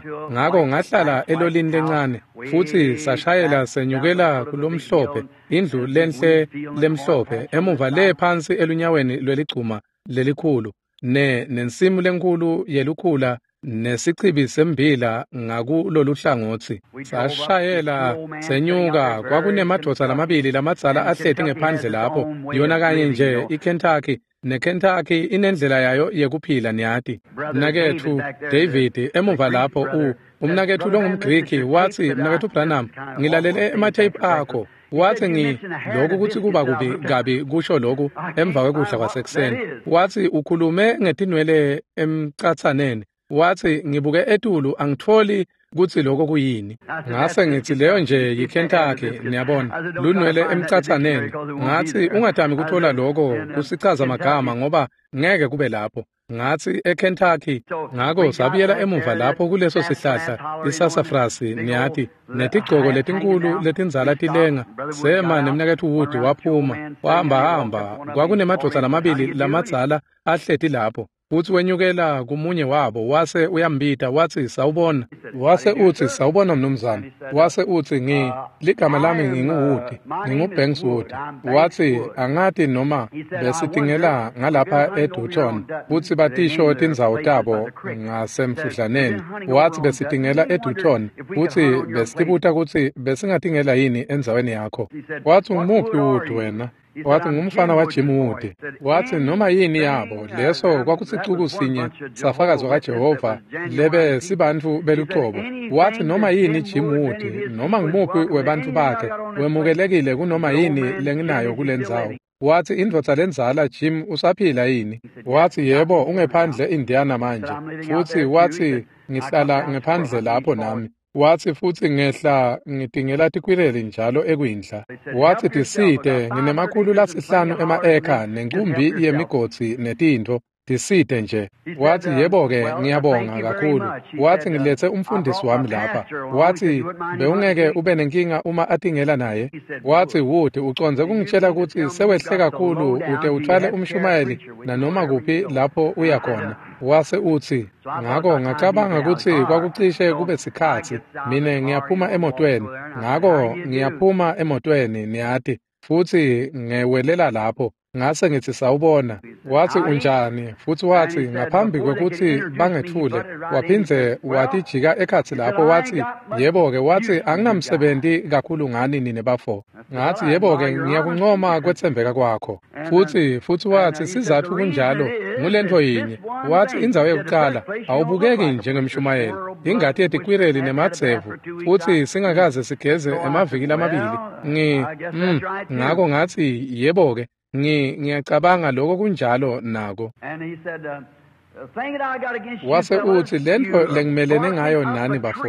Ngako ngahlala elolini lencane futsi sashayela senyukela kulomhlophe, indlu lenhle lemhlophe emuva le phansi elunyaweni lweligcuma lelikhulu ne nensimu lenkhulu yelukhula nesichibi sembila ngakuloluhlangotsi. Sashayela senyuka, kwakunemadvodza lamabili lamadzala ahleti ngephandle lapho. Yona kanye nje iKentucky neKentucky inendlela yayo yekuphila, niyati. Mnaketfu David emuva lapho u umnaketfu longumGriki watsi, mnaketfu Branham, ngilalele ematheyiphu akho. Watsi ngi lokhu kutsi kuba kubi kabi kusho lokhu emva kwekudla kwasekuseni. Watsi ukhulume ngetinwele emcatsaneni. Watsi ngibuke etulu angitfoli kutsi lokho kuyini. Ngase ngitsi leyo nje yiKentucky, niyabona, lunwele emcatsaneni. Ngatsi ungatami kutfola lokho kusichaza magama ngoba ngeke kube lapho. Ngatsi eKentucky. Ngako sabuyela emuva lapho kuleso sihlahla isassafrasi, niyati, netigcoko letinkulu letindzala tilenga. Sema nemnaketfu Wood waphuma wahamba hamba. Kwakunemadvodza lamabili lamadzala ahleti lapho. Futsi wenyukela kumunye wabo wase uyambita watsi sawubona. Wase utsi sawubona mnumzane. Wase utsi ngi ligama lami nginguWood, nginguBanks Wood. Watsi angati noma besitingela ngalapha eDutton kutsi batisho tindzawo tabo ngasemfudlaneni. Watsi besitingela eDutton kutsi besitibuta kutsi besingatingela yini endzaweni yakho. Watsi ngumuphi Wood wena? Watsi ngumfana waJim Wood. Watsi noma yini yabo leso kwakusicuku sinye safakazi kaJehova lebe sibantfu belucobo. Watsi noma yini Jim Wood noma ngumuphi webantfu bakhe wemukelekile kunoma yini lenginayo kulendzawo. Watsi indvodza lendzala Jim usaphila yini? Watsi yebo ungephandle Indiana manje. Futsi watsi ngihlala ngephandle lapho nami. Watsi futsi ngehla ngitingela tikwireli njalo ekwindla. Watsi tisite nginemakhulu lasihlanu ema-eka nenkumbi yemigodzi netintfo tisite nje. Watsi yebo-ke ngiyabonga kakhulu. Watsi ngiletse umfundisi wami lapha. Watsi bewungeke ube nenkinga uma atingela naye. Watsi Wood ucondze kungitshela kutsi sewehle kakhulu ute utfwale umshumayeli nanoma kuphi lapho uya khona. Wase utsi ngako ngacabanga kutsi kwakucishe kube sikhatsi mine ngiyaphuma emotweni. Ngako ngiyaphuma emotweni niyati futsi ngewelela lapho. Ngase ngithi sawubona. Watsi unjani? Futsi watsi ngaphambi kwekutsi bangetfule waphindze watijika ekhatsi lapho watsi yebo-ke. Watsi anginamsebenti kakhulu ngani nine bafo. Ngatsi yebo-ke ngiyakuncoma kwetsembeka kwakho. Futsi futsi watsi sizatfu kunjalo ngulentfo yinye. Watsi indzawo yekuqala awubukeki njengemshumayeli ingati yetikwireli nemadzevu futsi singakaze sigeze emaviki lamabili. Ngi mm, ngako ngatsi yebo-ke ngi ngiyacabanga lokho kunjalo nako. Wase utsi lentfo lengimelene ngayo nani bafo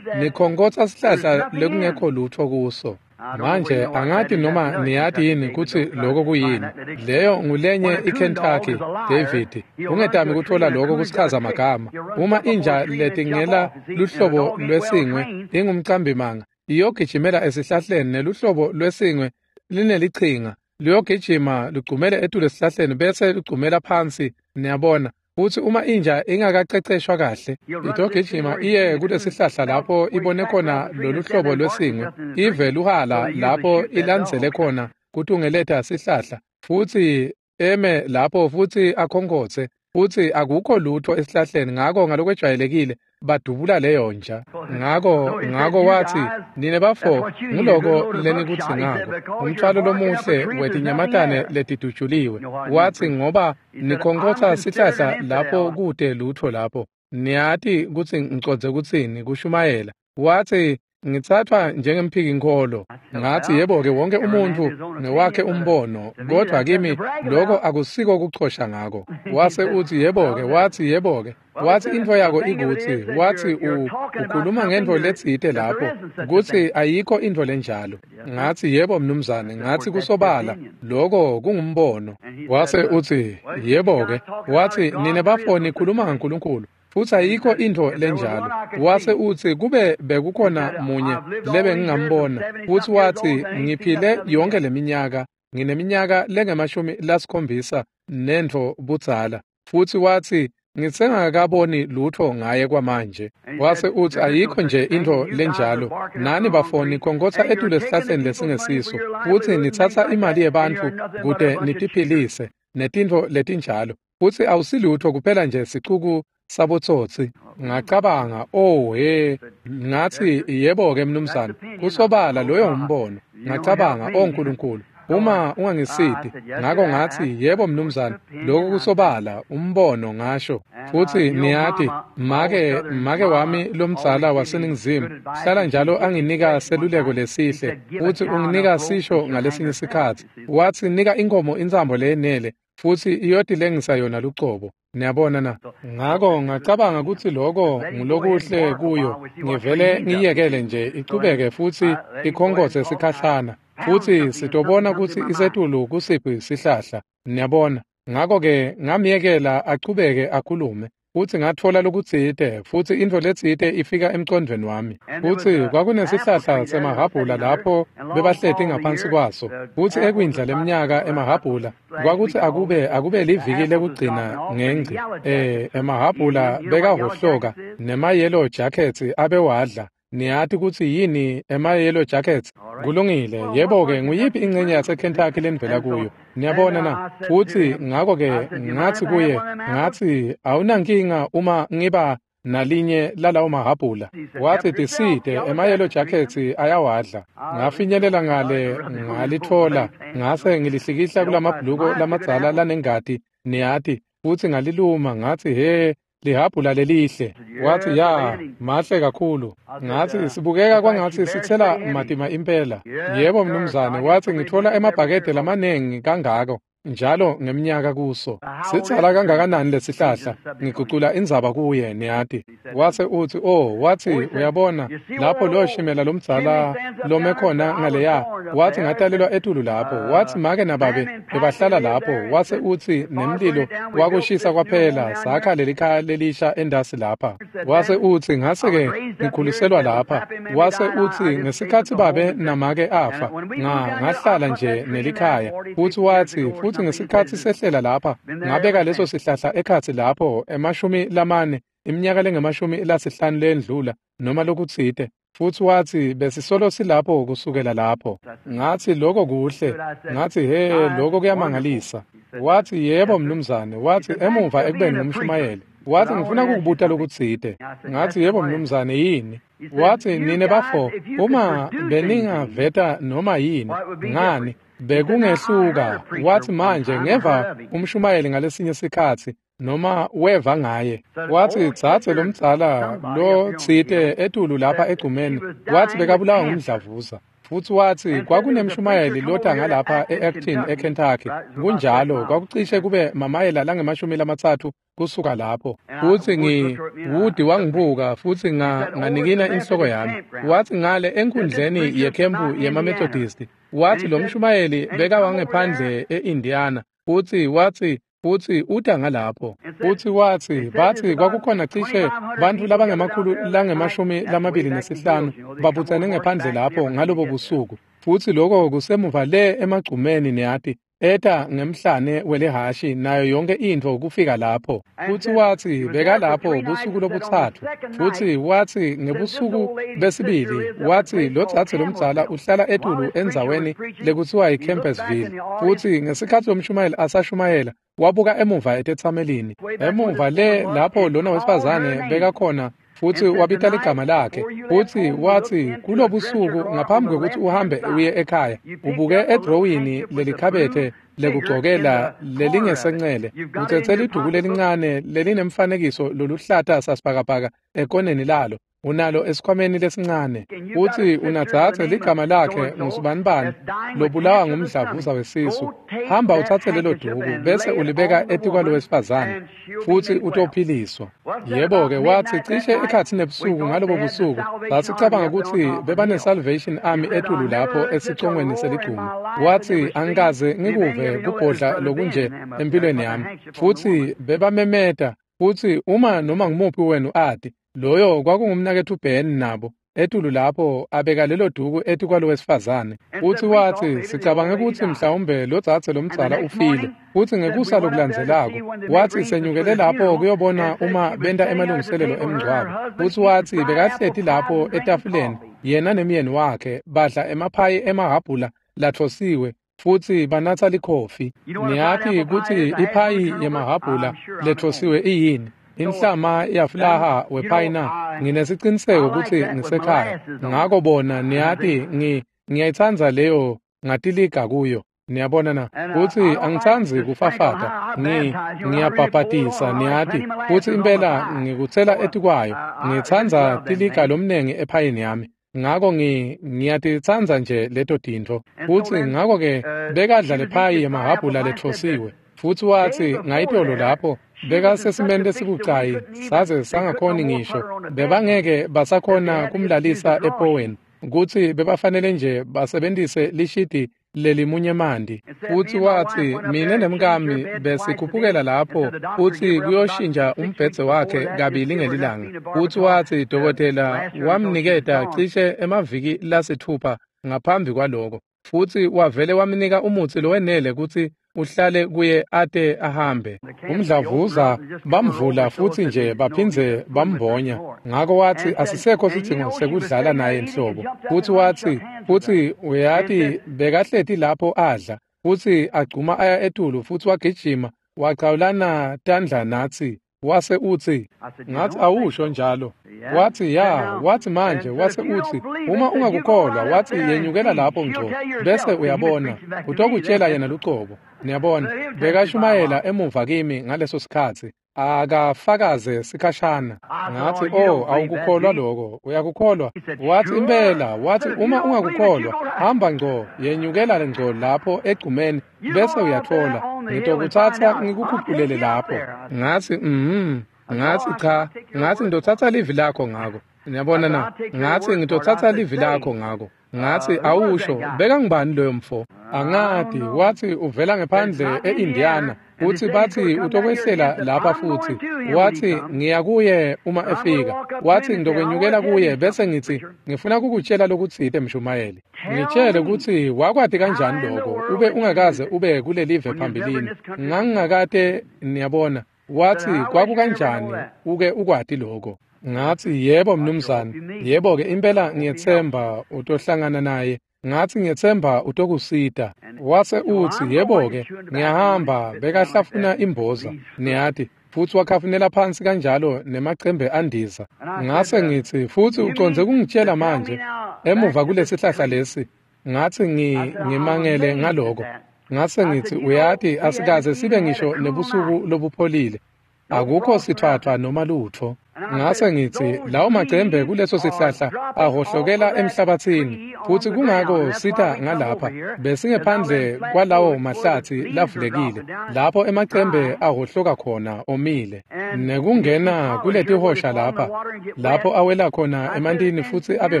nikhonkotsa sihlahla lekungekho lutfo kuso. Manje angati noma niyati yini kutsi lokho kuyini. Leyo ngulenye iKentucky David. Ungetami kutfola lokho kusichaza magama. Uma inja letingela luhlobo lwesingwe ingumcambimanga iyogijimela esihlahleni neluhlobo lwesingwe linelichinga luyogijima lugcumele etulu esihlahleni bese lugcumela phansi niyabona. Futsi uma inja ingakaqeqeshwa kahle itogijima iye kulesihlahla lapho ibone khona lolu hlobo lwesingwe ive luhala lapho ilandzele khona kutungeleta sihlahla futsi eme lapho futsi akhonkotse futsi akukho lutho esihlahleni. Ngako ngalokwejwayelekile badubula leyo nja. Ngako ngako watsi nine bafo nguloko lenikutsi ngako umthwalo lomuhle wetinyamatane letidutshuliwe. Watsi ngoba nikhonkotsa sihlahla lapho kute lutho lapho niyati kutsi ngicondze kutsini kushumayela. Watsi ngitsatfwa njengemphiki-nkholo. Ngatsi yebo-ke wonke umuntfu ngewakhe umbono kodvwa kimi lokho akusiko kuchosha ngako. Wase utsi yebo-ke. Watsi yebo-ke. Watsi intfo yako ikutsi watsi ukhuluma ngentfo letsite lapho kutsi ayikho intfo lenjalo. Ngatsi yebo mnumzane. Ngatsi kusobala lokho kungumbono. Wase utsi yebo-ke. Watsi nine bafo nikhuluma ngaNkulunkulu futsi ayikho intfo lenjalo. Wase utsi kube bekukhona munye lebe ngingambona. Futsi watsi ngiphile yonke leminyaka ngineminyaka lengemashumi lasikhombisa nentfo budzala. Futsi watsi ngisengakaboni lutfo ngaye kwamanje. Wase utsi ayikho nje intfo lenjalo. Nani bafo nikhonkotsa etulu esihlahleni lesingesiso futsi nitsatsa imali yebantfu kute nitiphilise netintfo letinjalo futsi awusilutfo kuphela nje sicuku sabotsotsi. Ngacabanga oh he. Ngatsi yebo-ke mnumzane kusobala loyo ngumbono. Ngacabanga oh Nkulunkulu uma ungangisiti. Ngako ngatsi yebo mnumzane lokho kusobala umbono ngasho. Futsi niyati make make wami lomdzala waseNingizimu hlala njalo anginika seluleko lesihle futsi unginika sisho ngalesinye isikhatsi. Watsi nika inkomo intsambo leyenele futsi iyotilengisa yona lucobo. Niyabona na? Ngako ngacabanga kutsi loko ngulokuhle kuyo ngivele ngiyekele nje ichubeke futsi ikhonkotse sikhashana futsi sitobona kutsi isetulu kusiphi sihlahla. Niyabona? Ngako-ke ngamyekela achubeke akhulume. Futsi ngatfola lokutsite, futsi intfo letsite ifika emcondvweni wami. Futsi kwakunesihlahla semahhabhula lapho bebahleti ngaphansi kwaso. Futsi ekwindla leminyaka emahhabhula, kwakutsi akube akube liviki lekugcina ngengci. Eh, emahhabhula bekahhohloka nema-yellow jackets abewadla. Niyati kutsi yini ema-yellow jackets? Kulungile, yebo-ke, nguyiphi ingcenye yaseKentucky lenivela kuyo? Niyabona na? Futsi ngako-ke ngatsi kuye, ngatsi awunankinga uma ngiba nalinye lalawo mahhabhula. Watsi tisite, ema-yellow jackets ayawadla. Ngafinyelela ngale ngalitfola, ngase ngilihlikihla kulamabhuluko lamadzala lanengati, niyati, futsi ngaliluma, ngatsi he, lihabhula lelihle. Watsi ya, mahle kakhulu. Ngatsi sibukeka kwangatsi sitsela matima impela. Yebo mnumzane, watsi ngitfola emabhakede lamanengi kangako njalo ngeminyaka kuso. Sitsala kangakanani lesihlahla? Ngigucula indzaba kuye, niyati. Wase utsi, oh, watsi uyabona lapho lo shimela lomdzala lome khona ngaleya. Watsi ngatalelwa etulu lapho. Watsi make nababe bebahlala lapho. Wase utsi nemlilo wakushisa kwaphela, sakha lelikhaya lelisha endasi lapha. Wase utsi ngase-ke ngikhuliselwa lapha. Wase utsi ngesikhatsi babe namake afa, nga ngahlala nje nelikhaya. Futsi watsi futsi ngesikhatsi sehlela lapha, ngabeka leso sihlahla ekhatsi lapho emashumi lamane, iminyaka lengemashumi lasihlanu lendlula noma lokutsite. Futsi watsi besisolo silapho kusukela lapho. Ngatsi lokho kuhle. Ngatsi he, lokho kuyamangalisa. Watsi yebo mnumzane. Watsi emuva ekubeni ngumshumayeli. Watsi ngifuna kukubuta lokutsite. Ngatsi yebo mnumzane, yini? Watsi nine bafo, uma beningaveta noma yini, ngani bekungehluka. Watsi manje ngeva umshumayeli ngalesinye sikhatsi noma weva ngaye. Watsi dzadze lomdzala lotsite etulu lapha egcumeni, watsi bekabulawa ngumdlavuza. Futsi watsi kwakunemshumayeli lota ngalapha e-Acton eKentucky. Kunjalo, kwakucishe kube mamayela langemashumi lamatsatfu kusuka lapho. Futsi ngi Woody wangibuka futsi nga nganikina inhloko yami. Watsi ngale enkundleni yekhempu yemaMethodist. Watsi lo mshumayeli bekawangephandle e-Indiana. Futsi watsi futsi uta ngalapho. Futsi watsi batsi kwakukhona cishe bantfu labangemakhulu langemashumi lamabili nesihlanu babutsene ngephandle lapho ngalobo busuku. Futsi lokho kusemuva le emagcumeni, niyati, eta ngemhlane welihashi nayo yonke intfo kufika lapho. Futsi watsi bekalapho busuku lobutsatfu. Futsi watsi ngebusuku besibili, watsi lodzadze lomdzala uhlala etulu endzaweni lekutsiwa yiCampbellsville. Futsi ngesikhatsi lomshumayeli asashumayela, wabuka emuva etetsamelini. Emuva le lapho lona wesifazane bekakhona, futsi wabita ligama lakhe. Futsi watsi kulobusuku ngaphambi kwekutsi uhambe uye ekhaya, ubuke edrowini lelikhabethe lekugcokela lelingesencele, utsetse liduku lelincane lelinemfanekiso loluhlata sasibhakabhaka ekoneni lalo, unalo esikhwameni lesincane. Futsi unadzadze ligama lakhe ngusibanibani lobulawa ngumdlavuza wesisu. Hamba utsatse lelo duku bese ulibeka etikwalo wesifazane, futsi utophiliswa. Yebo-ke, watsi cishe ekhatsi nebusuku ngalobo busuku basicabanga kutsi bebane-Salvation Army etulu lapho esicongweni seligcuma. Watsi angikaze ngikuve kubhodla lokunje empilweni yami. Futsi bebamemeta, futsi uma noma ngumuphi wenu ati, loyo kwakungumnaketfu Ben nabo etulu lapho abeka lelo duku etikwalo wesifazane. Futsi watsi sicabange kutsi mhlawumbe lodzadze lomdzala ufile. Futsi ngekusa lokulandzelako watsi senyukele lapho kuyobona uma benta emalungiselelo emngcwabo. Futsi watsi bekahleti lapho etafuleni yena nemyeni wakhe badla emaphayi emahhabhula latfosiwe futsi banatsa likhofi. Niyati kutsi iphayi yemahhabhula letfosiwe iyini? Inhlama yafulaha wephayina. Nginesiciniseko kutsi ngisekhaya. Ngako bona niyati ngi ngiyayitsandza leyo ngatiliga kuyo. Niyabona na? Futsi angitsandzi kufafata. Ngi ngiyabhabhatisa niyati. Futsi impela ngikutsela etikwayo. Ngitsandza tiliga lomnengi ephayini yami. Ngako ngi ngiyatitsandza nje leto tintfo. Futsi ngako ke bekadla lephayi yemahhabhula letfosiwe. Futsi watsi ngayitolo lapho bekasesimeni lesibucayi saze sangakhoni ngisho bebangeke basakhona kumlalisa epoweni, kutsi bebafanele nje basebentise lishidi lelimunye manti. Futsi watsi, mine nemkami besikhuphukela lapho futsi kuyoshintsha umbhedze wakhe kabili ngelilanga. Futsi watsi dokotela wamniketa cishe emaviki lasitfupha ngaphambi kwaloko, futsi wavele wamnika umutsi lowenele kutsi uhlale kuye ate ahambe. Umdlavuza bamvula futsi nje baphindze bambonya. Ngako watsi asisekho sidzingo sekudlala naye nhlobo. Futsi watsi, futsi uyati bekahleti lapho adla, futsi agcuma aya etulu futsi wagijima wachawulana tandla natsi. Wase utsi, ngathi awusho njalo. Wathi ya, wathi manje, wase utsi, uma ungakukholwa, wathi yenyukela lapho ngco, bese uyabona, utokutshela yena lucobo. Niyabona, bekashumayela emuva kimi ngaleso sikhatsi, akafakaze sikhashana. Ngathi, oh, awukukholwa lokho, uyakukholwa? Wathi impela, wathi uma ungakukholwa, hamba ngco, yenyukela ngco lapho egcumeni, bese uyathola, ngitokuthatha ngikukhuphulele lapho. Ngathi, mhm, ngathi cha, ngathi ngitothatha livi lakho ngako. Niyabona na? Ngathi ngitothatha livi lakho ngako. Ngathi awusho, bekangubani loyo mfo? Angati, wathi uvela ngephandle e-Indiana, uthi bathi utokwehlela lapha futhi. Wathi ngiya kuye uma efika. Wathi ngitokwenyukela kuye bese ngithi ngifuna kukutshela lokutsite mshumayeli. Ngitshele ukuthi wakwati kanjani lokho ube ungakaze ube kulelive phambilini. Ngangingakate, niyabona. Wathi kwakukanjani uke ukwati lokho? Ngathi yebo mnumzane, yebo ke impela ngiyethemba utohlangana naye. Ngathi ngiyethemba utokusita. Wase utsi yebo ke ngiyahamba, bekahlafuna imboza, niyati, futsi wakhafunela phansi kanjalo nemacembe andiza. Ngase ngithi futsi ucondze kungitshela manje emuva kulesihlahla lesi. Ngathi ngi ngimangele ngaloko. Ngase ngithi uyati asikaze sibe ngisho nebusuku lobupholile. Akukho sithwathwa noma lutho. Ngase ngithi lawo macembe kuleso sihlahla ahohlokela emhlabathini, futhi kungako sitha ngalapha besingephandle kwalawo mahlathi lavulekile lapho emacembe ahohloka khona omile, nekungena kuletihosha lapha lapho awela khona emantini futsi abe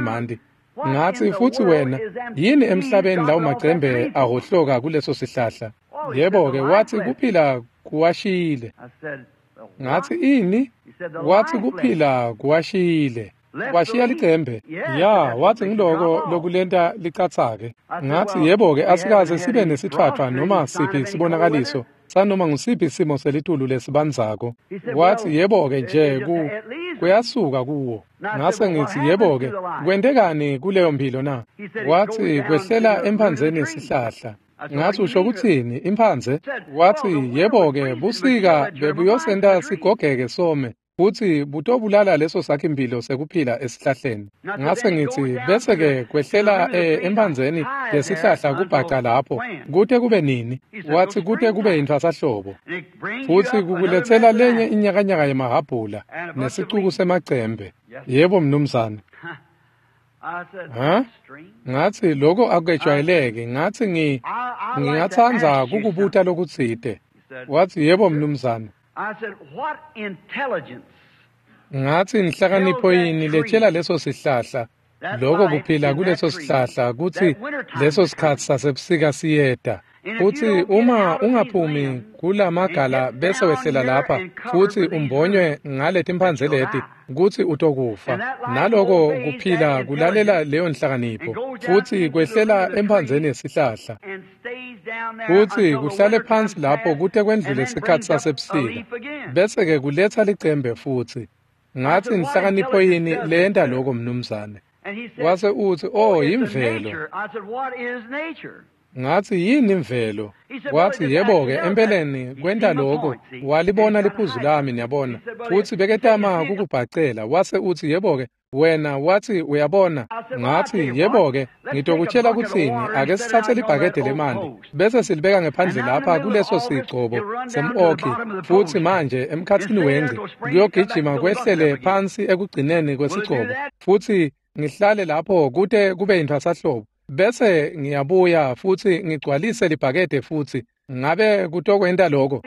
manti. Ngathi futhi wena yini emhlabeni lawo macembe ahohloka kuleso sihlahla? Yebo ke, wathi kuphila kuwashiyile. Ngathi ini? Wathi kuphila kuwashiyile. Washiya licembe. Ya, wathi ngiloko lokulenta licathake. Ngathi yebo ke, asikaze sibe nesithwathwa noma siphi sibonakaliso sanoma ngusiphi isimo selitulu lesibanzako. Wathi yebo ke nje ku kuyasuka kuwo. Ngase ngithi yebo ke, kwentekani kuleyo mpilo na? Wathi kwehlela emphandzeni yesihlahla. Ngathi usho kuthini imphandze? Wathi yebo ke, busika bebuyosenta sigogeke some, futhi butobulala leso sakhimpilo sekuphila esihlahleni. Ngase ngithi bese ke kwehlela emphandzeni yesihlahla kubhaca lapho kute kube nini? Wathi kute kube yintfwasahlobo, futhi kukuletsela lenye inyakanyaka yemahabhula nesicuku semacembe. Yebo mnumzane. Ha? Ngathi lokho akujwayeleke. Ngathi ngi ngingathanda kukubuta lokutsite. Wathi yebo mnumzane. Ngathi inhlakanipho yini letshela leso sihlahla lokho kuphila kuleso sihlahla kutsi leso sikhatsi sasebusika siyeta? Futhi uma ungaphumi kulamagala bese wehlela lapha futhi umbonywe ngaletimphandze leti kutsi utokufa. Naloko kuphila kulalela leyo nhlakanipho futhi kwehlela emphandzeni yesihlahla, futhi kuhlale phansi lapho kute kwendlule isikhatsi sasebusika, bese ke kuletha licembe futhi. Ngathi inhlakanipho yini leyenta lokho mnumzane? Wase utsi, oh, imvelo. Ngathi yini imvelo? Wathi yebo ke, empeleni kwenta lokho walibona liphuzu lami, niyabona, futhi beketama kukubhacela. Wase uthi yebo ke wena, wathi uyabona. Ngathi yebo ke, ngitokutshela kuthini, ake sithathe libhakede lemanti bese silibeka ngephandle lapha kuleso sigcobo sem-okhi, futhi manje emkhathini wengci kuyogijima kwehlele phansi ekugcineni kwesigcobo, futhi ngihlale lapho kute kube yintfwasahlobo, bese ngiyabuya futhi ngigcwalise libhakede futhi. Ngabe kutokwenta lokho?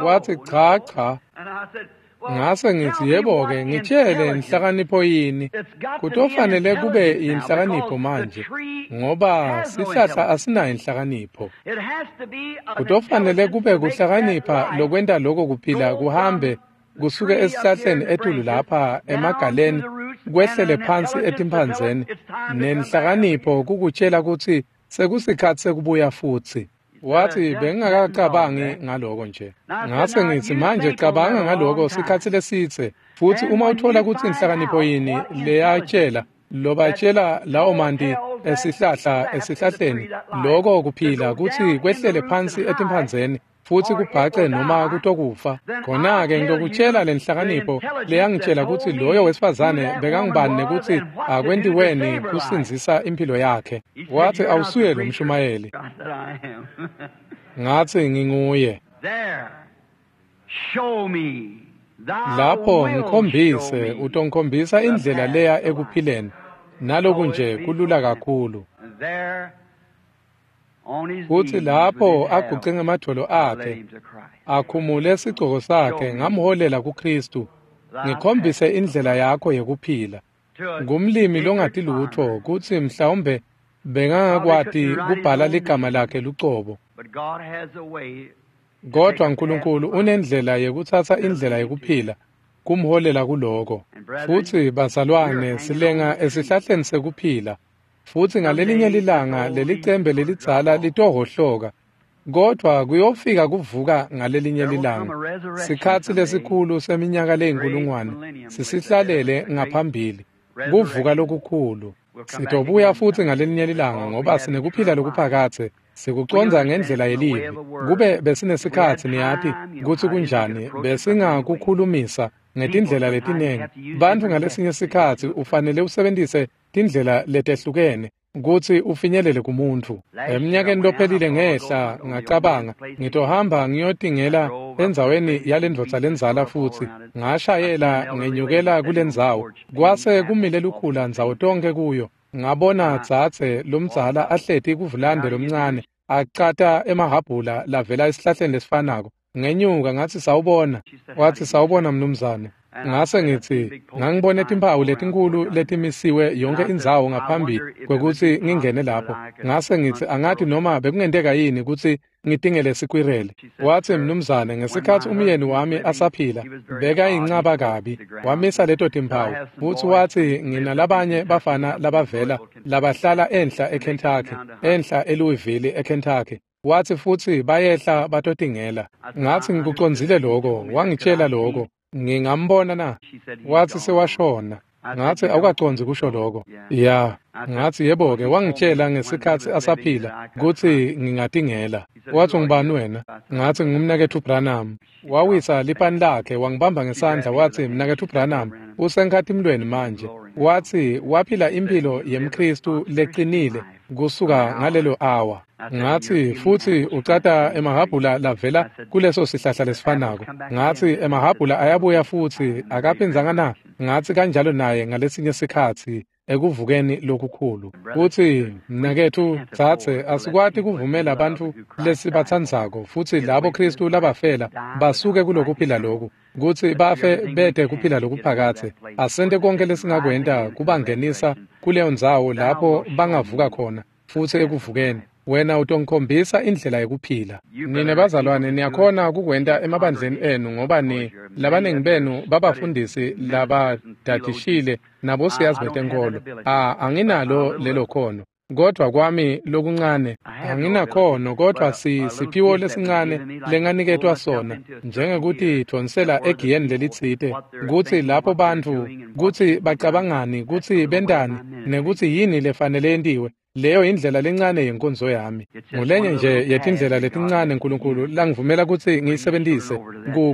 Wathi cha cha. Ngase ngitsi, yebo-ke, ngitjele inhlakanipho yini? Kutofanele kube yinhlakanipho manje, ngoba sihlahla asinayo inhlakanipho. Kutofanele kube kuhlakanipha lokwenta loko kuphila kuhambe kusuke esihlahleni etulu lapha emagaleni kwehlele phansi etimphandzeni, nenhlakanipho kukutjela kutsi sekusikhatsi sekubuya futsi. Wathi, bengingakacabangi ngaloko nje. Ngase ngitsi, manje cabanga ngaloko sikhatsi lesitse, futsi uma uthola kutsi inhlakanipho yini leyatjela lobatjela lawo manti esihlahla esihlahleni loko kuphila kutsi kwehlele phansi etimphandzeni futsi kubhace noma kutokufa, khona-ke ngitokutjela lenhlakanipho leyangitjela kutsi loyo wesifazane bekangubani nekutsi akwentiweni kusindzisa imphilo yakhe. Wathi, awusuye lo mshumayeli. Ngatsi, nginguye. Lapho ngikhombise, utongikhombisa indlela leya ekuphileni, naloku nje kulula kakhulu. Futsi lapho aguce ngemadvolo akhe, akhumule sigcoko sakhe, ngamholela kuKhristu. Ngikhombise indlela yakho yekuphila. Ngumlimi longati lutfo kutsi mhlawumbe bengangakwati kubhala ligama lakhe lucobo. Kodwa Nkulunkulu unendlela yekutsatsa indlela yekuphila, kumholela kuloko. Futsi bazalwane, silenga esihlahleni sekuphila. Futsi ngalelinye lilanga lelicembe lelidzala litohhohloka, kodvwa kuyofika kuvuka ngalelinye lilanga. Sikhatsi lesikhulu seminyaka leyinkulungwane sisihlalele ngaphambili, kuvuka lokukhulu. Sitobuya futsi ngalelinye lilanga ngoba sinekuphila lokuphakadze, sikucondza ngendlela yelivi. Kube besinesikhatsi, niyati kutsi kunjani, besingakukhulumisa ngetindlela letinengi. Bantfu ngalesinye sikhatsi ufanele usebentise tindlela letehlukene kutsi ufinyelele kumuntfu. Eminyakeni lophelile ngehla ngacabanga ngitohamba ngiyotingela endzaweni yalendvodza lendzala, futsi ngashayela ngenyukela kulendzawo. Kwase kumile lukhula ndzawo tonke kuyo. Ngabona dzadze lomdzala ahleti kuvulande lomncane acata emahhabhula lavela esihlahleni lesifanako. Ngenyuka ngatsi, sawubona. Wathi, sawubona mnumzane. Ngase ngitsi, ngangibone timphawu letinkhulu letimisiwe yonke indzawo ngaphambi kwekutsi ngingene lapho. Ngase ngitsi, angati noma bekungenteka yini kutsi ngitingele sikwirele. Wathi, mnumzane, ngesikhatsi umyeni wami asaphila, bekayincaba kabi, wamisa leto timphawu. Futsi wathi, nginalabanye bafana labavela labahlala enhla eKentucky, enhla eLouisville eKentucky. Wathi futsi bayehla batotingela. Ngathi, ngikucondzile lokho, wangitjela lokho. Ngingambona na? Wathi sewashona. Ngathi, awukacondzi kusho lokho. Ya. Ngathi, yebo-ke, wangitjela ngesikhatsi asaphila kutsi ngingatingela. Wathi, ungubani wena? Ngathi, ngumnaketfu Branham. Wawisa lipani lakhe, wangibamba ngesandla, wathi, mnaketfu Branham, usenkhatimlweni manje. Wathi, waphila imphilo yemKhristu leqinile kusuka ngalelo awa. Ngathi, futsi ucata emahhabhula lavela kuleso sihlahla lesifanako. Ngathi, emahhabhula ayabuya futsi akaphindzanga na? Ngathi, kanjalo naye ngalesinye sikhatsi ekuvukeni lokukhulu. Futsi mnaketfu dzadze, asikwati kuvumela bantfu lesibatsandzako futsi labo Khristu labafela basuke kulokuphila loku, kutsi bafe bete kuphila lokuphakadze. Asente konke lesingakwenta kubangenisa kuleyo ndzawo lapho bangavuka khona futsi ekuvukeni. Wena utongikhombisa indlela yekuphila. Nine bazalwane niyakhona kukwenta emabandleni enu, ngoba ni labaningi benu babafundisi labadadishile nabosiyazi betenkolo. A anginalo lelo khono, kodvwa kwami lokuncane anginakhono, kodvwa si siphiwo lesincane lenganiketwa sona, njengekutidvonsela egiyeni lelitsite, kutsi lapho bantfu kutsi bacabangani, kutsi bentani, nekutsi yini lefanele yentiwe. Leyo indlela lencane yenkonzo yami. Ngulenye nje yetindlela letincane Nkulunkulu langivumela kutsi ngiyisebentise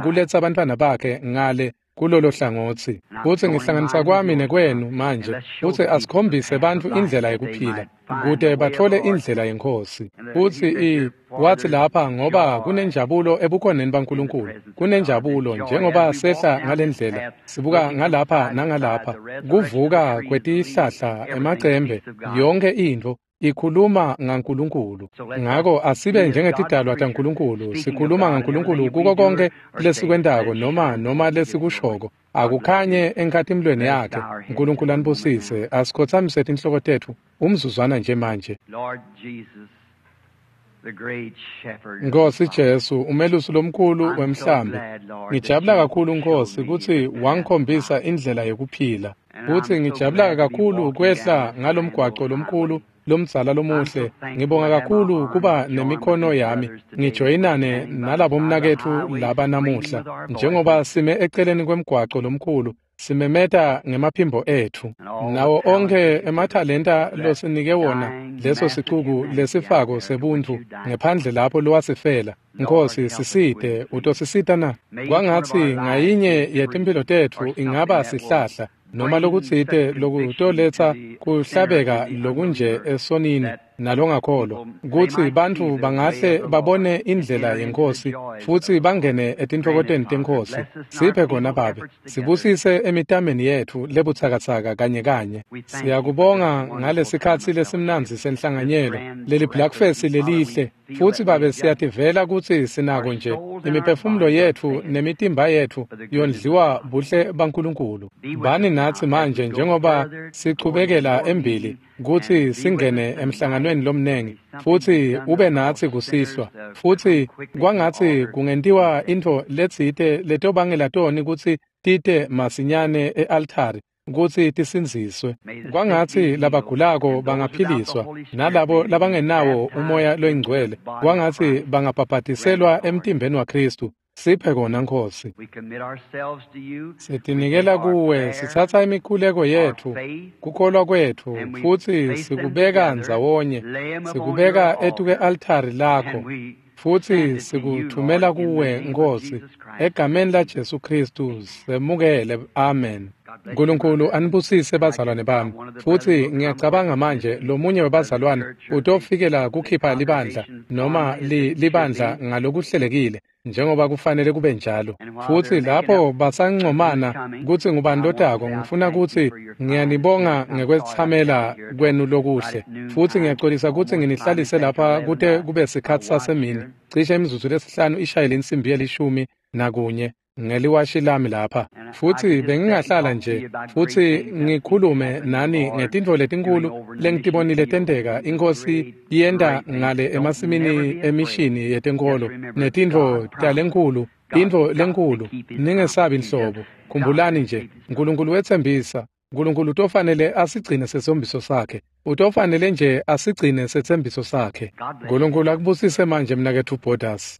kuletsa abantwana bakhe ngale kulolo hlangotsi. Kutsi ngihlanganisa kwami nekwenu manje, kutsi asikhombise bantfu indlela yekuphila, kute batfole indlela yeNkhosi. Futsi i wathi lapha, ngoba kunenjabulo ebukhoneni baNkulunkulu, kunenjabulo njengoba sehla ngalendlela, sibuka ngalapha nangalapha, kuvuka kwetihlahla, emacembe, yonke intfo. Ikhuluma ngaNkulunkulu. Ngako asibe njengetidalwa taNkulunkulu, sikhuluma ngaNkulunkulu kuko konke lesikwentako noma noma lesikushoko. Akukhanye enkhatimulweni yakhe. Nkulunkulu anibusise. Asikhotsamise tinhloko tetfu umzuzwana nje manje. Nkosi Jesu, umelusi lomkhulu wemhlambi, ngijabula kakhulu Nkosi kutsi wangikhombisa indlela yekuphila. Futsi ngijabula kakhulu kwehla ngalomgwaco lomkhulu lomdzala lomuhle. Ngibonga kakhulu kuba nemikhono yami ngijoyinane nalabomnaketfu laba namuhla, njengoba sime eceleni kwemgwaco lomkhulu simemeta ngemaphimbo etfu. Nawo onkhe emathalenta losinike wona leso sicuku lesifako sebuntfu ngephandle lapho lowasifela. Nkosi, sisite. Utosisita na? Kwangatsi ngayinye yetimphilo tetfu ingaba sihlahla noma lokutsite lokutoletsa kuhlabeka lokunje esonini nalongakholwa, kutsi bantfu bangahle babone indlela yeNkhosi futsi bangene etintfokotweni teNkhosi. Siphe kona Babe, sibusise emitameni yetfu lebutsakatsaka kanye kanye. Siyakubonga ngalesikhatsi lesimnandzi senhlanganyelo, leli breakfast lelihle, futsi Babe siyativela kutsi sinako nje imiphefumulo yetfu nemitimba yetfu yondliwa buhle baNkulunkulu. Bani natsi manje njengoba sichubekela embili kutsi singene emhlanganweni lomnengi, futsi ube natsi kusihlwa. Futsi kwangatsi kungentiwa intfo letsite letobangela toni kutsi tite masinyane e-altari kutsi tisindziswe. Kwangatsi labagulako bangaphiliswa, nalabo labangenawo umoya loyingcwele kwangatsi bangabhabhadiselwa emtimbeni waKhristu. Siphe kona Nkosi. Sitinikela kuwe, sitsatsa imikhuleko yetfu, kukholwa kwetfu, futsi sikubeka ndzawonye, sikubeka etuke-altari lakho, futsi sikuthumela kuwe Nkosi, egameni laJesu Khristu semukele. Amen. Nkulunkulu anibusise bazalwane bami. Futsi ngiyacabanga manje lomunye webazalwane utofikela kukhipha libandla noma li, libandla ngalokuhlelekile njengoba kufanele kube njalo. Futsi lapho basancomana kutsi ngubani lotako, ngifuna kutsi ngiyanibonga ngekwetsamela kwenu lokuhle. Futsi ngiyaxolisa kutsi nginihlalise lapha kute kube sikhatsi sasemini, cishe imizuzu lesihlanu ishayele insimbi yelishumi nakunye ngeliwashi lami lapha. Futsi bengingahlala nje futsi ngikhulume nani ngetintfo letinkulu lengitibonile tenteka iNkhosi iyenta ngale emasimini emishini yetenkolo netintfo talenkulu, intfo lenkulu. Ningesabi nhlobo. Khumbulani nje, Nkulunkulu wetsembisa. Nkulunkulu utofanele asigcine setsembiso sakhe. Utofanele nje asigcine setsembiso sakhe. Nkulunkulu akubusise manje mnaketfu Borders.